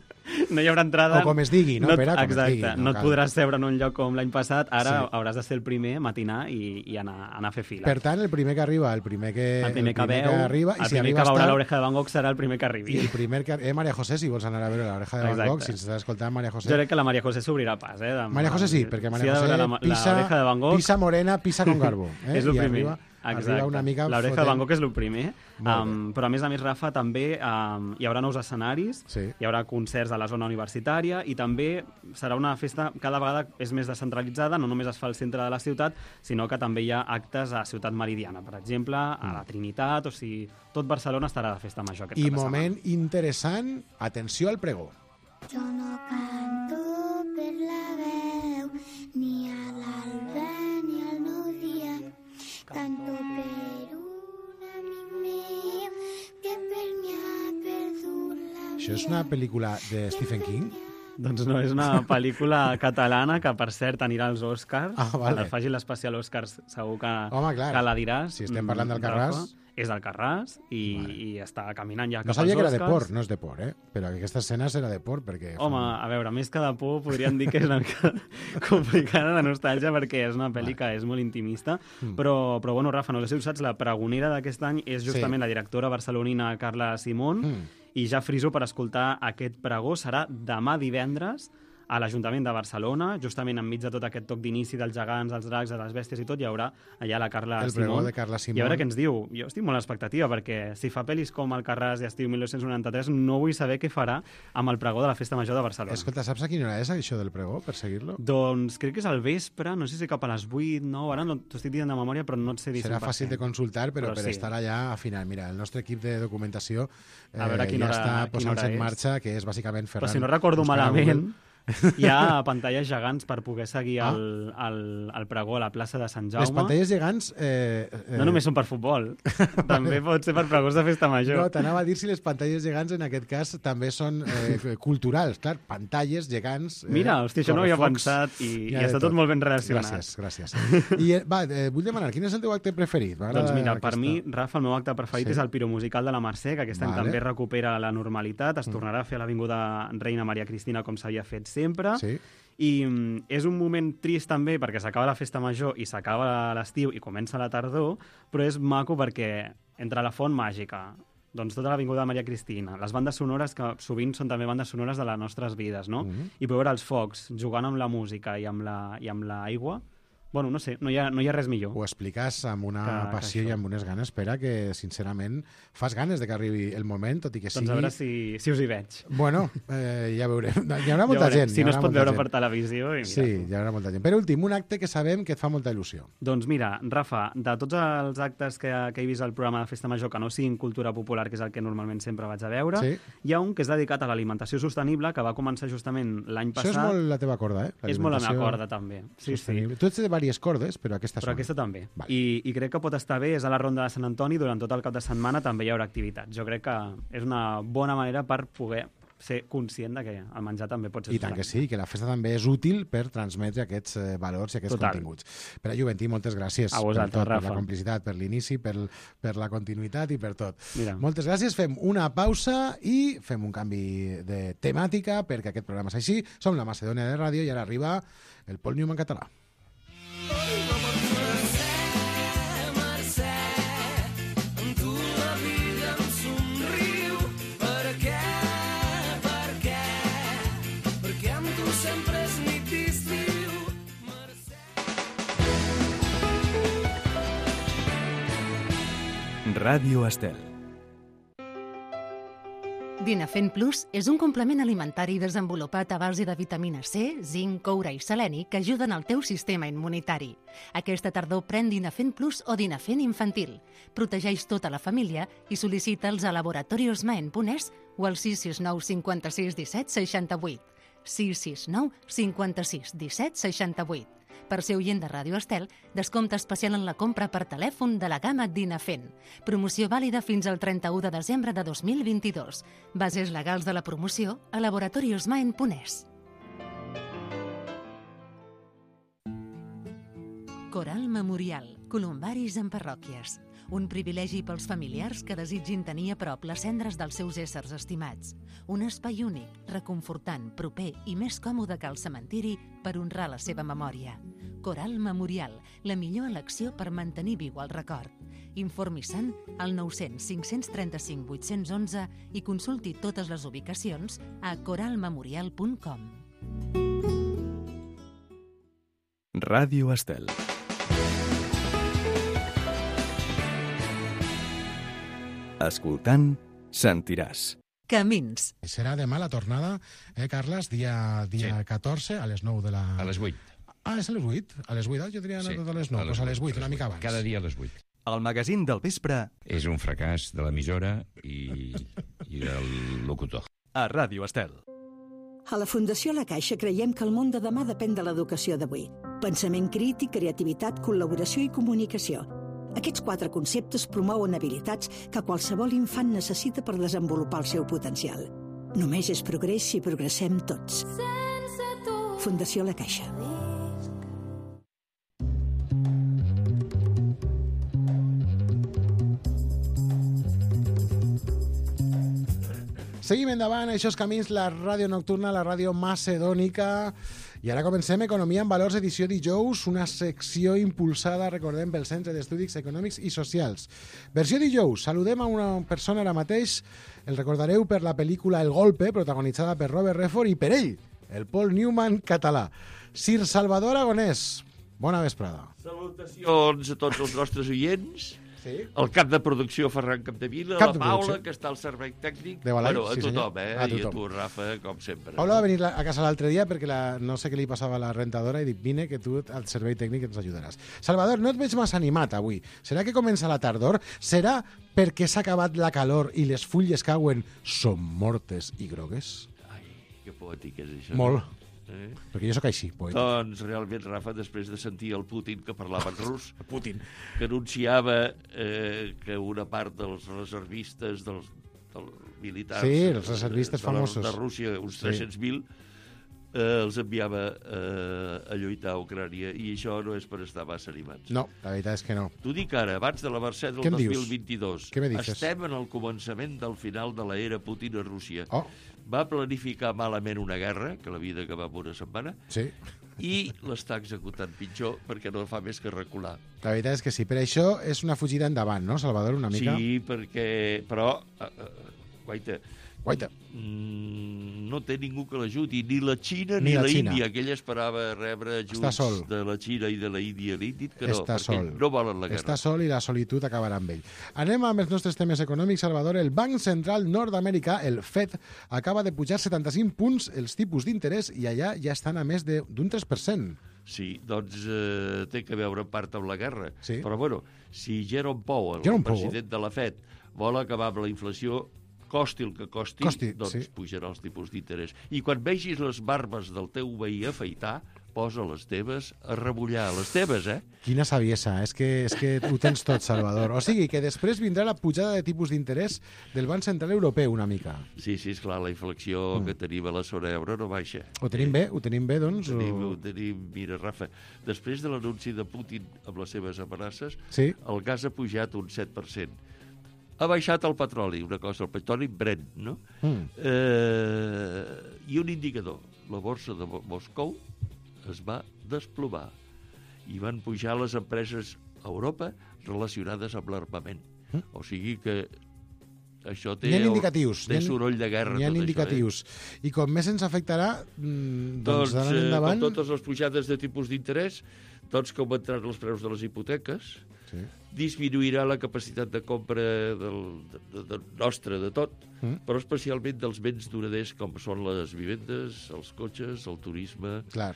no hi haurà entrada. O com es digui, no, no Pere? Com exacte, es digui, no, no et podràs seure en un lloc com l'any passat. Ara sí. hauràs de ser el primer, matinar i, i anar, anar a fer fila. Per tant, el primer que arriba, el primer que, el primer que, el primer veu, que arriba... El i si primer arriba que veurà estar... l'Oreja de Van Gogh serà el primer que arribi. I el primer que... Eh, Maria José, si vols anar a veure l'Oreja de Van Gogh, si estàs escoltant Maria José... Jo crec que la Maria José s'obrirà pas, eh? De... Maria José sí, perquè Maria si José la, pisa, la de Van Gogh... pisa morena, pisa con garbo. Eh? És el I primer. Arriba, arriba una mica... L'Oreja de Van Gogh és el primer. Um, però a més a més, Rafa, també um, hi haurà nous escenaris, sí. hi haurà concerts a la zona universitària i també serà una festa cada vegada és més descentralitzada, no només es fa al centre de la ciutat, sinó que també hi ha actes a Ciutat Meridiana, per exemple, a la Trinitat, o sigui, tot Barcelona estarà de festa major aquest I cap de moment setmana. interessant, atenció al pregó. Jo no canto per la veu, ni a l'alba ni al nou dia, canto per un amic meu que per mi ha perdut la vida. Això és una pel·lícula de Stephen King? Doncs no, és una pel·lícula catalana que, per cert, anirà als Oscars. Ah, vale. Quan el faci l'especial Oscars segur que, Home, clar. que la diràs. Si estem parlant del Carràs... Rafa, és del Carràs i, vale. i està caminant ja no cap als Oscars. No sabia que era de por, no és de por, eh? Però aquesta escena serà de por perquè... Home, a veure, més que de por podríem dir que és una mica complicada de nostàlgia perquè és una pel·li que és molt intimista, mm. però, però bueno, Rafa, no sé si ho saps, la pregonera d'aquest any és justament sí. la directora barcelonina Carla Simón mm. i ja friso per escoltar aquest pregó serà demà divendres a l'Ajuntament de Barcelona, justament enmig de tot aquest toc d'inici dels gegants, dels dracs, de les bèsties i tot, hi haurà allà la Carla El Simón. pregó de Carla Simón. I a veure què ens diu. Jo estic molt a l'expectativa, perquè si fa pel·lis com Alcarràs i Estiu mil nou-cents noranta-tres, no vull saber què farà amb el pregó de la Festa Major de Barcelona. Escolta, saps a quina hora és això del pregó, per seguir-lo? Doncs crec que és al vespre, no sé si cap a les vuit, nou, ara no t'ho estic dient de memòria, però no et sé dir Serà cent per cent. fàcil de consultar, però, Però per sí. estar allà a final. Mira, el nostre equip de documentació eh, A veure quina ja hora- està quina posant-se hora en és. marxa, que és bàsicament Ferran. Però si no recordo buscant a malament, Google. hi ha pantalles gegants per poder seguir Ah. el, el, el pregó a la plaça de Sant Jaume. Les pantalles gegants... Eh, eh, No només són per futbol, també pot ser per pregons de festa major. No, t'anava a dir si les pantalles gegants en aquest cas també són eh, culturals. Clar, pantalles gegants... Eh, Mira, hòstia, això no ho havia correfocs, pensat i, i hi ha de està tot molt ben relacionat. Gràcies, gràcies. I eh, va, eh, vull demanar, quin és el teu acte preferit? Doncs mira, per mi, Rafa, el meu acte preferit Sí. és el piromusical de la Mercè, que aquest any Vale. també recupera la normalitat, es Mm. tornarà a fer a l'Avinguda Reina Maria Cristina com s'havia fet sempre. Sí. I mm, és un moment trist també perquè s'acaba la festa major i s'acaba l'estiu i comença la tardor, però és maco perquè entre la Font Màgica, doncs tota l'Avinguda Maria Cristina, les bandes sonores que sovint són també bandes sonores de les nostres vides, no? Mhm. I veure els focs jugant amb la música i amb la, i amb l'aigua, bueno, no sé, no hi ha, no hi ha res millor. Ho expliques amb una Que- que passió això. i amb unes ganes, espera, que sincerament fas ganes de que arribi el moment, tot i que sigui... Doncs a veure si, si us hi veig. Bueno, eh, ja veurem. Hi haurà Ja molta veurem. gent. Si hi no es haurà pot molta veure gent. per televisió... I mira. Sí, hi haurà molta gent. Per últim, un acte que sabem que et fa molta il·lusió. Doncs mira, Rafa, de tots els actes que, que he vist al programa de Festa Major que no siguin cultura popular, que és el que normalment sempre vaig a veure, Sí. hi ha un que és dedicat a l'alimentació sostenible, que va començar justament l'any Això passat. és molt la teva corda, eh? És molt la meva L'alimentació corda, també. Sí, sí. sostenible. Tu ets de diverses cordes, però aquesta Però és aquesta una. també. I, I crec que pot estar bé, és a la Ronda de Sant Antoni, durant tot el cap de setmana també hi haurà activitats. Jo crec que és una bona manera per poder ser conscient de que el menjar també pot ser I tant que sí, que la festa també és útil per transmetre aquests eh, valors i aquests Total. continguts. Per a Juventí, moltes gràcies A vosaltres, per tot, per Rafa. la complicitat, per l'inici, per, per la continuïtat i per tot. Mira. Moltes gràcies, fem una pausa i fem un canvi de temàtica perquè aquest programa és així. Som la Macedònia de Ràdio i ara arriba el Paul Newman català. Ràdio Estel. Dinafent Plus és un complement alimentari desenvolupat a base de vitamina C, zinc, coure i seleni que ajuden al teu sistema immunitari. Aquesta tardor pren Dinafent Plus o Dinafent infantil. Protegeix tota la família i sol·licita'ls a laboratoriosmaen punt es o al sis sis nou cinquanta-sis disset seixanta-vuit. sis sis nou cinquanta-sis disset seixanta-vuit. Per ser oient de Ràdio Estel, descompte especial en la compra per telèfon de la gamma Dinafent. Promoció vàlida fins al trenta-u de desembre de dos mil vint-i-dos. Bases legals de la promoció a laboratoriosmaen punt es. Coral Memorial, columbaris en parròquies. Un privilegi pels familiars que desitgin tenir a prop les cendres dels seus éssers estimats. Un espai únic, reconfortant, proper i més còmode que el cementiri per honrar la seva memòria. Coral Memorial, la millor elecció per mantenir viu el record. Informi-se'n al nou cents cinc trenta-cinc vuit cents onze i consulti totes les ubicacions a coral memorial punt com. Ràdio Estel. Escoltant, sentiràs. Camins. Serà demà la tornada, eh, Carles? Dia, dia Sí. catorze, a les nou de la... A les vuit. Ah, és a les vuit? A les vuit, jo diria Sí, sí, a les nou. a les Doncs a les vuit, vuit, una mica abans. Cada dia a les vuit. El magazín del vespre És un fracàs de l'emissora i, i del locutor. a Ràdio Estel. A la Fundació La Caixa creiem que el món de demà depèn de l'educació d'avui. Pensament crític, creativitat, col·laboració i comunicació. Aquests quatre conceptes promouen habilitats que qualsevol infant necessita per desenvolupar el seu potencial. Només és progrés si progressem tots. Fundació La Caixa. Seguim endavant, això és Camins, la ràdio nocturna, la ràdio macedònica. I ara comencem Economia en Valors, edició dijous, una secció impulsada, recordem, pel Centre d'Estudis Econòmics i Socials. Versió dijous, saludem a una persona ara mateix, el recordareu per la pel·lícula El Golpe, protagonitzada per Robert Redford, i per ell, el Paul Newman català. Sir Salvador Aragonès, bona vesprada. Salutacions a tots els nostres oients. Sí. El cap de producció Ferran Capdevila, Cap la de Paula, producció. que està al servei tècnic. De Balai, bueno, a sí, tothom, senyor. eh? A I a tothom. tu, Rafa, com sempre. Paula va venir a casa l'altre dia perquè la, no sé què li passava a la rentadora i dic, vine que tu al servei tècnic ens ajudaràs. Salvador, no et veig massa animat avui. Serà que comença la tardor? Serà perquè s'ha acabat la calor i les fulles cauen són mortes i grogues? Ai, que poètic és això. Molt. No? Eh? Perquè jo sóc així, poeta. Doncs realment, Rafa, després de sentir el Putin que parlava en rus, Putin. que anunciava eh, que una part dels reservistes, dels, dels militars... Sí, els reservistes de, la- famosos. De Rússia, uns Sí. tres-cents mil, eh, els enviava eh, a lluitar a Ucrània, i això no és per estar massa animats. No, la veritat és que no. T'ho dic ara, abans de la Mercè del Què em dos dius? mil vint-i-dos. Què me dices? Estem en el començament del final de l'era Putin a Rússia. Oh. Va planificar malament una guerra, que la vida acaba en una setmana, Sí. i l'està executant pitjor perquè no fa més que recular. La veritat és que sí. Per això és una fugida endavant, no, Salvador, una mica? Sí, perquè... Però, uh, uh, guaita, Guaita. mm, no té ningú que l'ajudi, ni la Xina Ni ni, la la Xina. Índia, que ella esperava rebre Està ajuts sol. de la Xina i de la Índia. Li han dit que no, Està perquè sol. no volen la guerra. Està sol i la solitud acabarà amb ell. Anem amb els nostres temes econòmics, Salvador. El Banc Central Nord-Americà, el Fed, acaba de pujar setanta-cinc punts els tipus d'interès i allà ja estan a més de- d'un tres per cent. Sí, doncs eh, té que veure en part amb la guerra. Sí. Però, bueno, si Jerome Powell, Jerome el president de la Fed, vol acabar amb la inflació, costi el que costi, Costi, doncs sí. pujarà els tipus d'interès. I quan vegis les barbes del teu veí afaitar, posa les teves a remullar. Les teves, eh? Quina saviesa, és que, és que ho tens tot, Salvador. O sigui, que després vindrà la pujada de tipus d'interès del Banc Central Europeu una mica. Sí, sí, esclar, la inflació Mm. que tenim a la zona euro no baixa. Ho tenim bé? Ho tenim bé, doncs? Ho tenim, O... ho tenim, mira, Rafa, després de l'anunci de Putin amb les seves amenaces, Sí. el gas ha pujat un set per cent. Ha baixat el petroli, una cosa, el petroli Brent, no? Mm. Eh, I un indicador, la borsa de Mo- Moscou es va desplomar i van pujar les empreses a Europa relacionades amb l'armament. Mm. O sigui que això té, N'hi ha indicatius. té n'hi ha- soroll de guerra. N'hi ha tot això, indicatius. I com més ens afectarà, mm, doncs, Doncs, d'ara eh, endavant... amb totes les pujades de tipus d'interès, doncs que augmentaran els preus de les hipoteques, Sí. disminuirà la capacitat de compra del, de, de, de nostra, de tot, Mm. però especialment dels béns duraders, com són les vivendes, els cotxes, el turisme... Clar.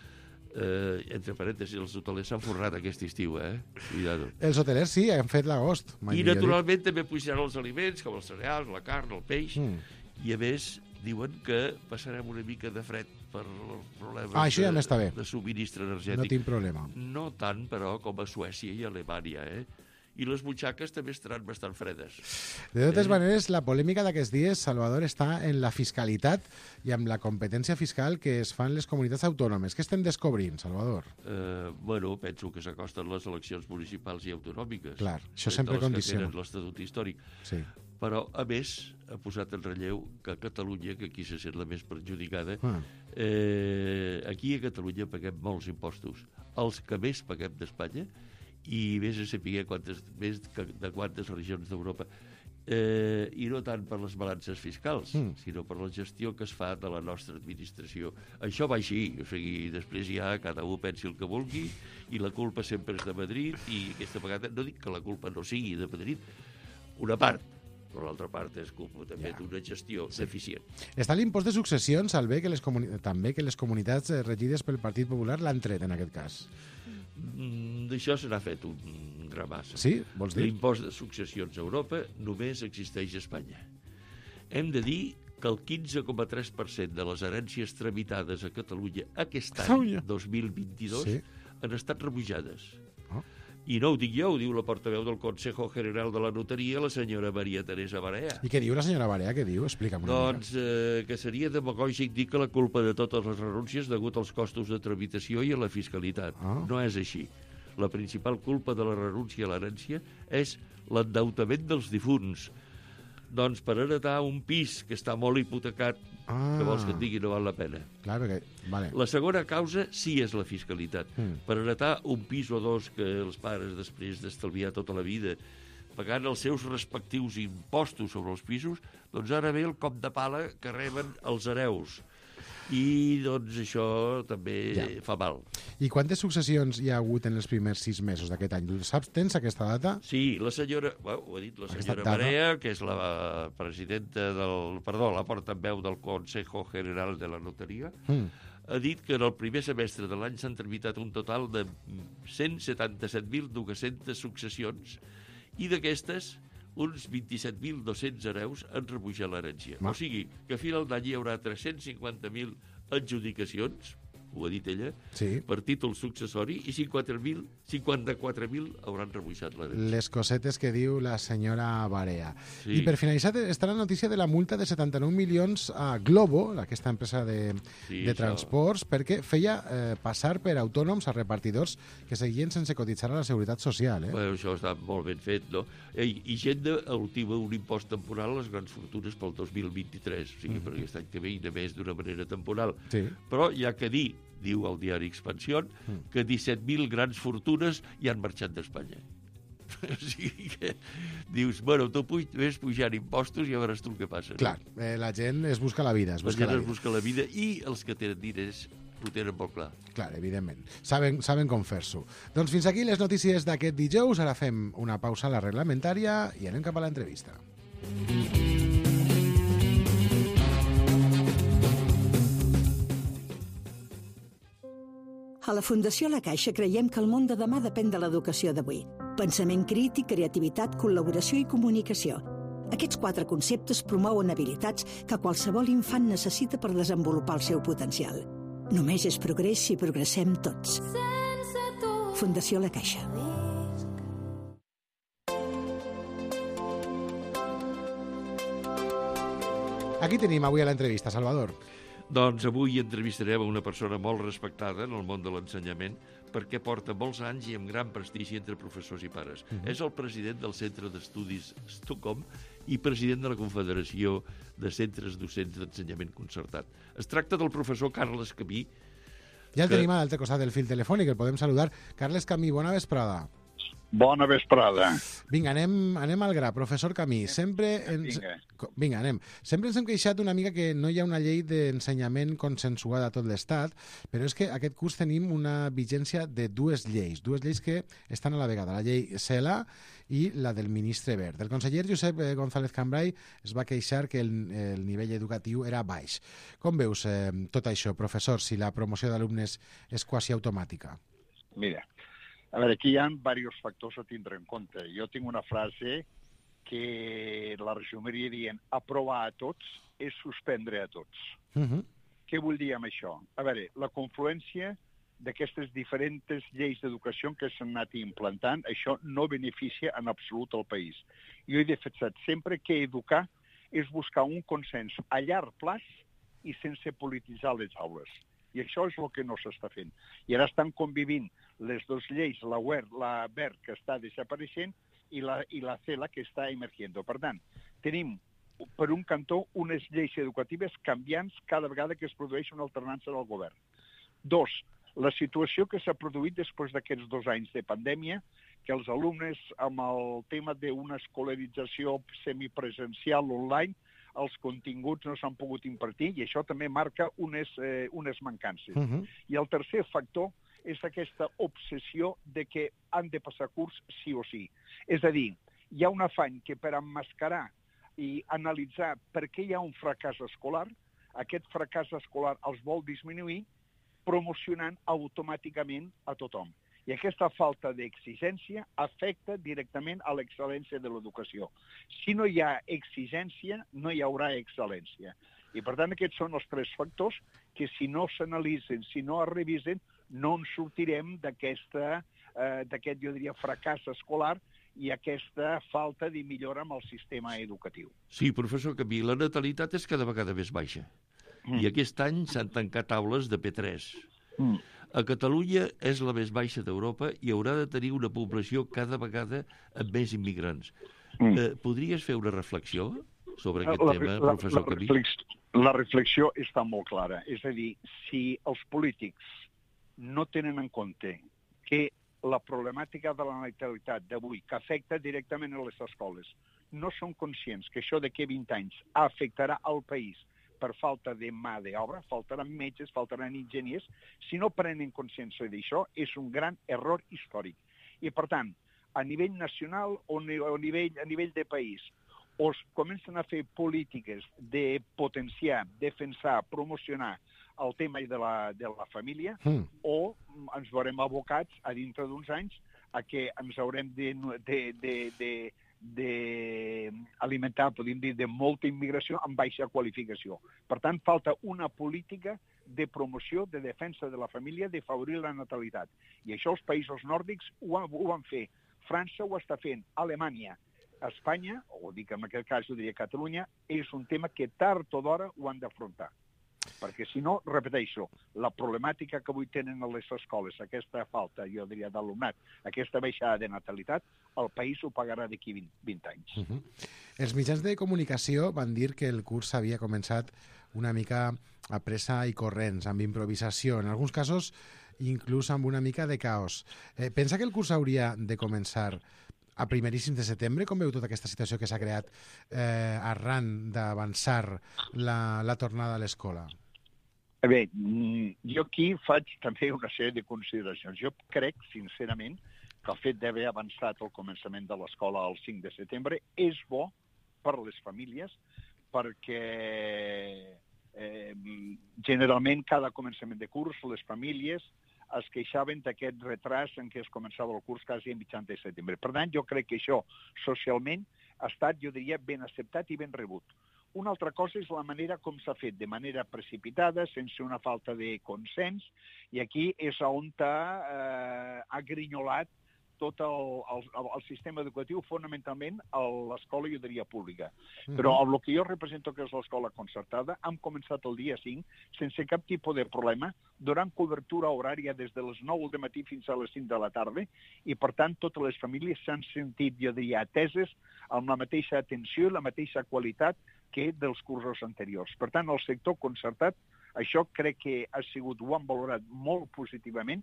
Eh, entre parèntesis, els hotelers s'han forrat aquest estiu, eh? Cuidado. Els hotelers sí, han fet l'agost. mai I millor dit. naturalment també pujaran els aliments, com els cereals, la carn, el peix, Mm. i a més diuen que passarem una mica de fred per els problemes Ah, això ja de, m'està bé. de subministre No energètic. tinc problema. No tant, però, com a Suècia i Alemanya, eh? I les butxaques també estaran bastant fredes. De totes Eh? maneres, la polèmica d'aquests dies, Salvador, està en la fiscalitat i amb la competència fiscal que es fan les comunitats autònomes. Què estem descobrint, Salvador? Eh, bueno, penso que s'acosten les eleccions municipals i autonòmiques. Clar, això eh, sempre de les condiciona. que tenen l'Estatut històric. Sí. Però, a més, ha posat en relleu que Catalunya, que aquí se sent la més perjudicada, Ah. eh, aquí a Catalunya paguem molts impostos. Els que més paguem d'Espanya, i més a saber quantes, més que de quantes regions d'Europa. Eh, I no tant per les balances fiscals, Mm. sinó per la gestió que es fa de la nostra administració. Això va així, o sigui, després ja cada un pensi el que vulgui, i la culpa sempre és de Madrid, i aquesta vegada no dic que la culpa no sigui de Madrid, una part, però l'altra part és culpa també Ja. d'una gestió deficient. Està l'impost de successions, al bé que les comuni... també que les comunitats eh, regides pel Partit Popular l'han tret, en aquest cas. Mm, D'això se n'ha fet un gramassa. Sí? Vols dir? L'impost de successions a Europa només existeix a Espanya. Hem de dir que el quinze coma tres per cent de les herències tramitades a Catalunya aquest any, Uia. dos mil vint-i-dos, Sí. han estat rebutjades. Oh. I no ho dic jo, ho diu la portaveu del Consejo General de la Notaria, la senyora Maria Teresa Barea. I què diu la senyora Barea? Què diu? Explica'm una Doncs eh, que seria demagògic dir que la culpa de totes les renúncies degut als costos de tramitació i a la fiscalitat. Ah. No és així. La principal culpa de la renúncia a l'herència és l'endeutament dels difunts. Doncs per heretar un pis que està molt hipotecat, Ah. que vols que et digui, no val la pena. Clar, perquè... Vale. La segona causa sí és la fiscalitat. Mm. Per heretar un pis o dos que els pares, després d'estalviar tota la vida, pagant els seus respectius impostos sobre els pisos, doncs ara ve el cop de pala que reben els hereus. I, doncs, això també ja. fa mal. I quantes successions hi ha hagut en els primers sis mesos d'aquest any? Saps, tens aquesta data? Sí, la senyora, bueno, ho ha dit la senyora Barea, que és la presidenta del... Perdó, la portaveu del Consejo General de la Notaria, mm. ha dit que en el primer semestre de l'any s'han tramitat un total de cent setanta-set mil dues-centes successions i d'aquestes uns vint-i-set mil dos-cents hereus han rebutjat l'herència. O sigui, que a final d'any hi haurà tres-cents cinquanta mil adjudicacions, ho ha dit ella, sí. per títol successori, i cinquanta-quatre mil hauran rebutjat l'herència. Les cosetes que diu la senyora Barea. Sí. I per finalitzar està la notícia de la multa de setanta-nou milions a Globo, aquesta empresa de, sí, de transports, això. perquè feia eh, passar per autònoms a repartidors que seguien sense cotitzar a la Seguretat Social. Eh? Bueno, això està molt ben fet, no? I, i gent ultima un impost temporal a les grans fortunes pel dos mil vint-i-tres, o sigui, mm. per aquest any que ve i només d'una manera temporal. Sí. Però hi ha que dir, diu el diari Expansión, mm. que disset mil grans fortunes hi han marxat d'Espanya. O sigui que dius, bueno, tu puj, ves pujant impostos i a veuràs tu el que passa. Clar, no? eh, la gent es busca la vida. Es busca la gent la es busca la vida i els que tenen diners ho tenen molt clar. Clar, evidentment. Saben, saben com fer-s'ho. Doncs fins aquí les notícies d'aquest dijous. Ara fem una pausa a la reglamentària i anem cap a l'entrevista. A la Fundació La Caixa creiem que el món de demà depèn de l'educació d'avui. Pensament crític, creativitat, col·laboració i comunicació. Aquests quatre conceptes promouen habilitats que qualsevol infant necessita per desenvolupar el seu potencial. Només és progrés si progressem tots. Fundació La Caixa. Aquí tenim avui a l'entrevista, Salvador. Doncs avui entrevistarem a una persona molt respectada en el món de l'ensenyament perquè porta molts anys i amb gran prestigi entre professors i pares. Uh-huh. És el president del Centre d'Estudis Stockholm i president de la Confederació de Centres Docents d'Ensenyament Concertat. Es tracta del professor Carles Camí. Ja el que... tenim a l'altre costat del fil telefònic, el podem saludar. Carles Camí, bona vesprada. Bona vesprada. Vinga, anem, anem al gra. Professor Camí, sempre ens... Vinga. Vinga, anem. Sempre ens hem queixat una mica que no hi ha una llei d'ensenyament consensuada a tot l'Estat, però és que aquest curs tenim una vigència de dues lleis, dues lleis que estan a la vegada, la llei CELA i la del ministre Wert. El conseller Josep González Cambray es va queixar que el, el nivell educatiu era baix. Com veus eh, tot això, professor, si la promoció d'alumnes és quasi automàtica? Mira, a veure, aquí hi ha diversos factors a tindre en compte. Jo tinc una frase que la resumiria dient aprovar a tots és suspendre a tots. Uh-huh. Què vull dir amb això? A veure, la confluència d'aquestes diferents lleis d'educació que s'han anat implantant, això no beneficia en absolut el país. Jo he defensat sempre que educar és buscar un consens a llarg plaç i sense polititzar les aules. I això és el que no s'està fent. I ara estan convivint les dues lleis, la Wert, la Wert, que està desapareixent, i la, i la CELA, que està emergent. Per tant, tenim, per un cantó, unes lleis educatives canviants cada vegada que es produeix una alternança del govern. Dos, la situació que s'ha produït després d'aquests dos anys de pandèmia, que els alumnes, amb el tema d'una escolarització semipresencial online, els continguts no s'han pogut impartir i això també marca unes, eh, unes mancances. Uh-huh. I el tercer factor és aquesta obsessió de que han de passar curs sí o sí. És a dir, hi ha un afany que per emmascarar i analitzar per què hi ha un fracàs escolar, aquest fracàs escolar els vol disminuir promocionant automàticament a tothom. I aquesta falta d'exigència afecta directament a l'excel·lència de l'educació. Si no hi ha exigència, no hi haurà excel·lència. I, per tant, aquests són els tres factors que, si no s'analitzen, si no es revisen, no ens sortirem d'aquesta, eh, d'aquest, jo diria, fracàs escolar i aquesta falta de millora amb el sistema educatiu. Sí, professor Camí, la natalitat és cada vegada més baixa. Mm. I aquest any s'han tancat aules de P tres. Mm. A Catalunya és la més baixa d'Europa i haurà de tenir una població cada vegada amb més immigrants. Mm. Eh, podries fer una reflexió sobre aquest la, tema, la, professor Camí? La, reflex, la reflexió està molt clara. És a dir, si els polítics no tenen en compte que la problemàtica de la natalitat d'avui, que afecta directament a les escoles, no són conscients que això d'aquí vint anys afectarà al país per falta de mà d'obra, faltaran metges, faltaran enginyers. Si no prenen consciència d'això, és un gran error històric. I, per tant, a nivell nacional o a nivell, a nivell de país, o es comencen a fer polítiques de potenciar, defensar, promocionar el tema de la, de la família, mm. o ens veurem abocats a dintre d'uns anys a que ens haurem de, de, de, de, de alimentar, podríem dir, de molta immigració amb baixa qualificació. Per tant, falta una política de promoció, de defensa de la família, de favorir la natalitat. I això els països nòrdics ho, ho van fer. França ho està fent, Alemanya, Espanya, o dic en aquest cas ho diria Catalunya, és un tema que tard o d'hora ho han d'afrontar. Perquè si no, repeteixo, la problemàtica que avui tenen a les escoles, aquesta falta, jo diria, d'alumnat, aquesta baixada de natalitat, el país ho pagarà d'aquí vint anys. Uh -huh. Els mitjans de comunicació van dir que el curs havia començat una mica a pressa i corrents, amb improvisació, en alguns casos inclús amb una mica de caos. Eh, pensa que el curs hauria de començar a primeríssims de setembre? Com veu tota aquesta situació que s'ha creat eh, arran d'avançar la, la tornada a l'escola? Bé, jo aquí faig també una sèrie de consideracions. Jo crec, sincerament, que el fet d'haver avançat el començament de l'escola el cinc de setembre és bo per a les famílies, perquè eh, generalment cada començament de curs les famílies es queixaven d'aquest retras en què es començava el curs quasi a mitjans de setembre. Per tant, jo crec que això socialment ha estat, jo diria, ben acceptat i ben rebut. Una altra cosa és la manera com s'ha fet, de manera precipitada, sense una falta de consens, i aquí és on ha, eh, ha grinyolat tot el, el, el sistema educatiu, fonamentalment a l'escola, jo diria, pública. Mm-hmm. Però el que jo represento, que és l'escola concertada, hem començat el dia cinc sense cap tipus de problema, donant cobertura horària des de les nou del matí fins a les cinc de la tarda, i per tant totes les famílies s'han sentit, jo diria, ateses amb la mateixa atenció i la mateixa qualitat que dels cursos anteriors. Per tant, el sector concertat, això crec que ha sigut, ho han valorat molt positivament,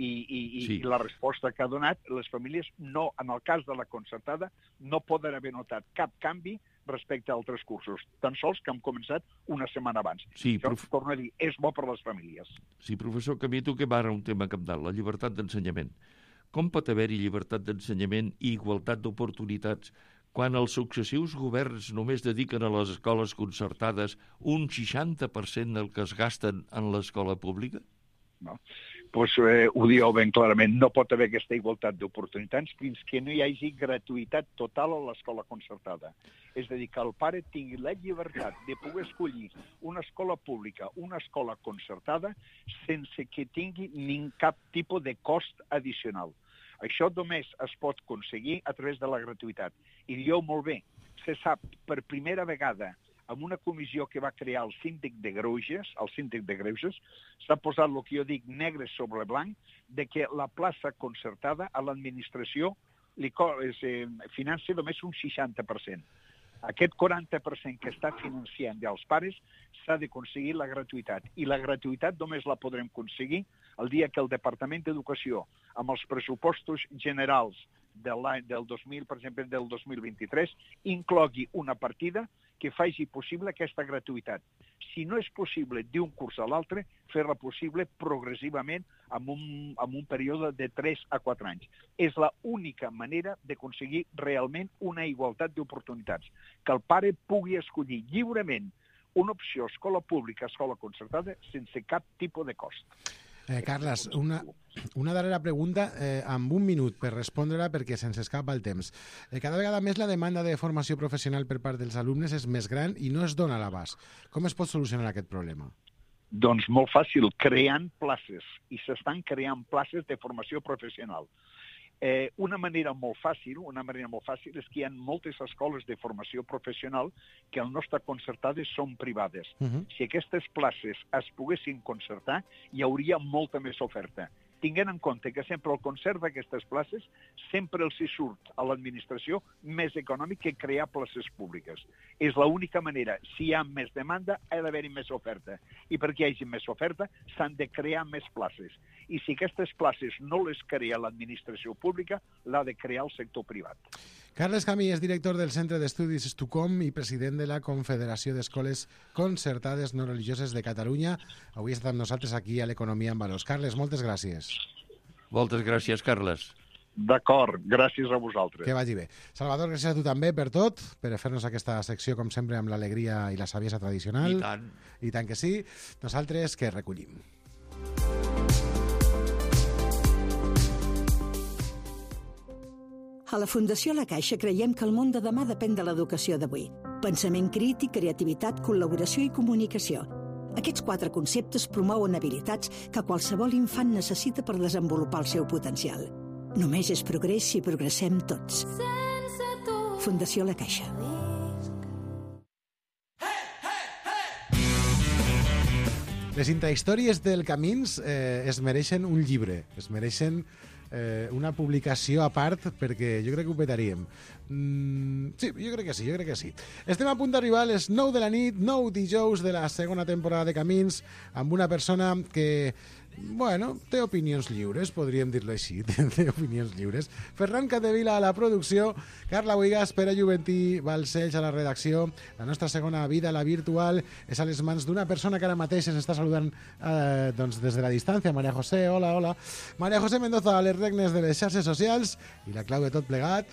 i, i, sí. i la resposta que ha donat, les famílies, no, en el cas de la concertada, no poden haver notat cap canvi respecte a altres cursos, tan sols que hem començat una setmana abans. Sí, això, prof... torno a dir, és bo per a les famílies. Sí, professor, que a mi toquem ara un tema cabdal, la llibertat d'ensenyament. Com pot haver-hi llibertat d'ensenyament i igualtat d'oportunitats quan els successius governs només dediquen a les escoles concertades un seixanta per cent del que es gasten en l'escola pública? No. Pues, eh, ho dieu ben clarament, no pot haver aquesta igualtat d'oportunitats fins que no hi hagi gratuïtat total a l'escola concertada. És a dir, que el pare tingui la llibertat de poder escollir una escola pública, una escola concertada, sense que tingui ni cap tipus de cost addicional. Això només es pot aconseguir a través de la gratuïtat. I dieu molt bé, se sap per primera vegada amb una comissió que va crear el síndic de Greuges, el síndic de Greuges, s'ha posat el que jo dic negre sobre blanc, de que la plaça concertada a l'administració li eh, financia només un seixanta per cent. Aquest quaranta per cent que està financiant dels pares s'ha d'aconseguir la gratuïtat. I la gratuïtat només la podrem aconseguir el dia que el Departament d'Educació, amb els pressupostos generals de l'any del dos mil, per exemple, del dos mil vint-i-tres, inclogui una partida que faci possible aquesta gratuïtat. Si no és possible d'un curs a l'altre, fer-la possible progressivament en un, en un període de tres a quatre anys. És l'única manera d'aconseguir realment una igualtat d'oportunitats. Que el pare pugui escollir lliurement una opció escola pública, escola concertada, sense cap tipus de cost. Eh, Carles, una, una darrera pregunta eh, amb un minut per respondre-la perquè se'ns escapa el temps. Eh, cada vegada més la demanda de formació professional per part dels alumnes és més gran i no es dona a l'abast. Com es pot solucionar aquest problema? Doncs molt fàcil, creant places. I s'estan creant places de formació professional. Eh, una manera molt fàcil, una manera molt fàcil és que hi ha moltes escoles de formació professional que al no estar concertades són privades. Uh-huh. Si aquestes places es poguessin concertar, hi hauria molta més oferta. Tinguent en compte que sempre el concert d'aquestes places sempre els hi surt a l'administració més econòmic que crear places públiques. És l'única manera. Si hi ha més demanda, ha d'haver-hi més oferta. I perquè hi hagi més oferta, s'han de crear més places. I si aquestes places no les crea l'administració pública, l'ha de crear el sector privat. Carles Camí és director del Centre d'Estudis Estucom i president de la Confederació d'Escoles Concertades No Religioses de Catalunya. Avui està amb nosaltres aquí a l'Economia en Valors. Carles, moltes gràcies. Moltes gràcies, Carles. D'acord, gràcies a vosaltres. Que vagi bé. Salvador, gràcies a tu també per tot, per fer-nos aquesta secció, com sempre, amb l'alegria i la saviesa tradicional. I tant. I tant que sí. Nosaltres que recollim. A la Fundació La Caixa creiem que el món de demà depèn de l'educació d'avui. Pensament crític, creativitat, col·laboració i comunicació. Aquests quatre conceptes promouen habilitats que qualsevol infant necessita per desenvolupar el seu potencial. Només és progrés si progressem tots. Fundació La Caixa. Les intrahistòries del Camins eh, es mereixen un llibre, es mereixen eh, una publicació a part, perquè jo crec que ho petaríem. Mm, sí, jo crec que sí, jo crec que sí. Estem a punt d'arribar a les nou de la nit, nou dijous de la segona temporada de Camins, amb una persona que, bueno, té opinions lliures, podríem dir-lo així, té opinions lliures. Ferran Capdevila a la producció, Carla Boigas, Pere Juventí, Balcells a la redacció. La nostra segona vida, la virtual, és a les mans d'una persona que ara mateix ens està saludant eh, doncs des de la distància. Maria José, hola, hola. Maria José Mendoza a les regnes de les xarxes socials i la clau de tot plegat.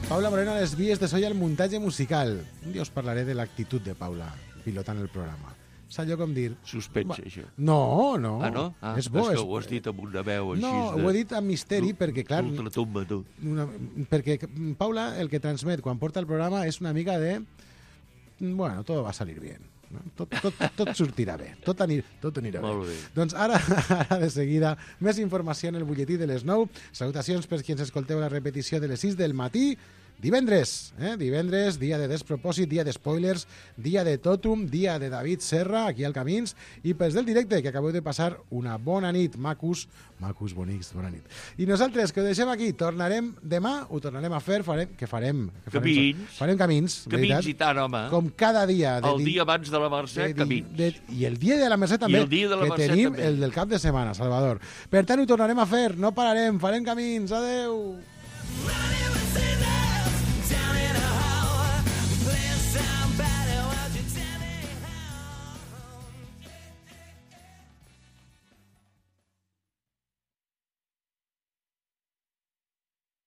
Paula Moreno a les vies de so i al muntatge musical. Un dia us parlaré de l'actitud de Paula pilotant el programa. És allò com dir... Suspense, això. No, no. Ah, no? Ah, és bo. És que és... ho has dit amb una veu així. No, de... ho he dit amb misteri perquè, clar... Ultratumba, tu. Una... Perquè Paula el que transmet quan porta el programa és una mica de... Bueno, todo va a salir bien. No? Tot, tot, tot sortirà bé. Tot, anir, tot anirà bé. Molt bé. Doncs ara, ara de seguida, més informació en el butlletí de les nou. Salutacions per qui ens escolteu la repetició de les sis del matí. Divendres, eh? Divendres, dia de despropòsit, dia de spoilers, dia de Totum, dia de David Serra, aquí al Camins, i pels del directe, que acabeu de passar una bona nit, macus, macus bonics, bona nit. I nosaltres, que ho deixem aquí, tornarem demà, ho tornarem a fer, farem, què farem? Que farem? Camins. Farem camins, Camins veritat? i tant, home. Com cada dia. De el di... dia abans de la Mercè, de, camins. De, I el dia de la Mercè també, I el dia de la que Mercè tenim també. el del cap de setmana, Salvador. Per tant, ho tornarem a fer, no pararem, farem camins, adeu!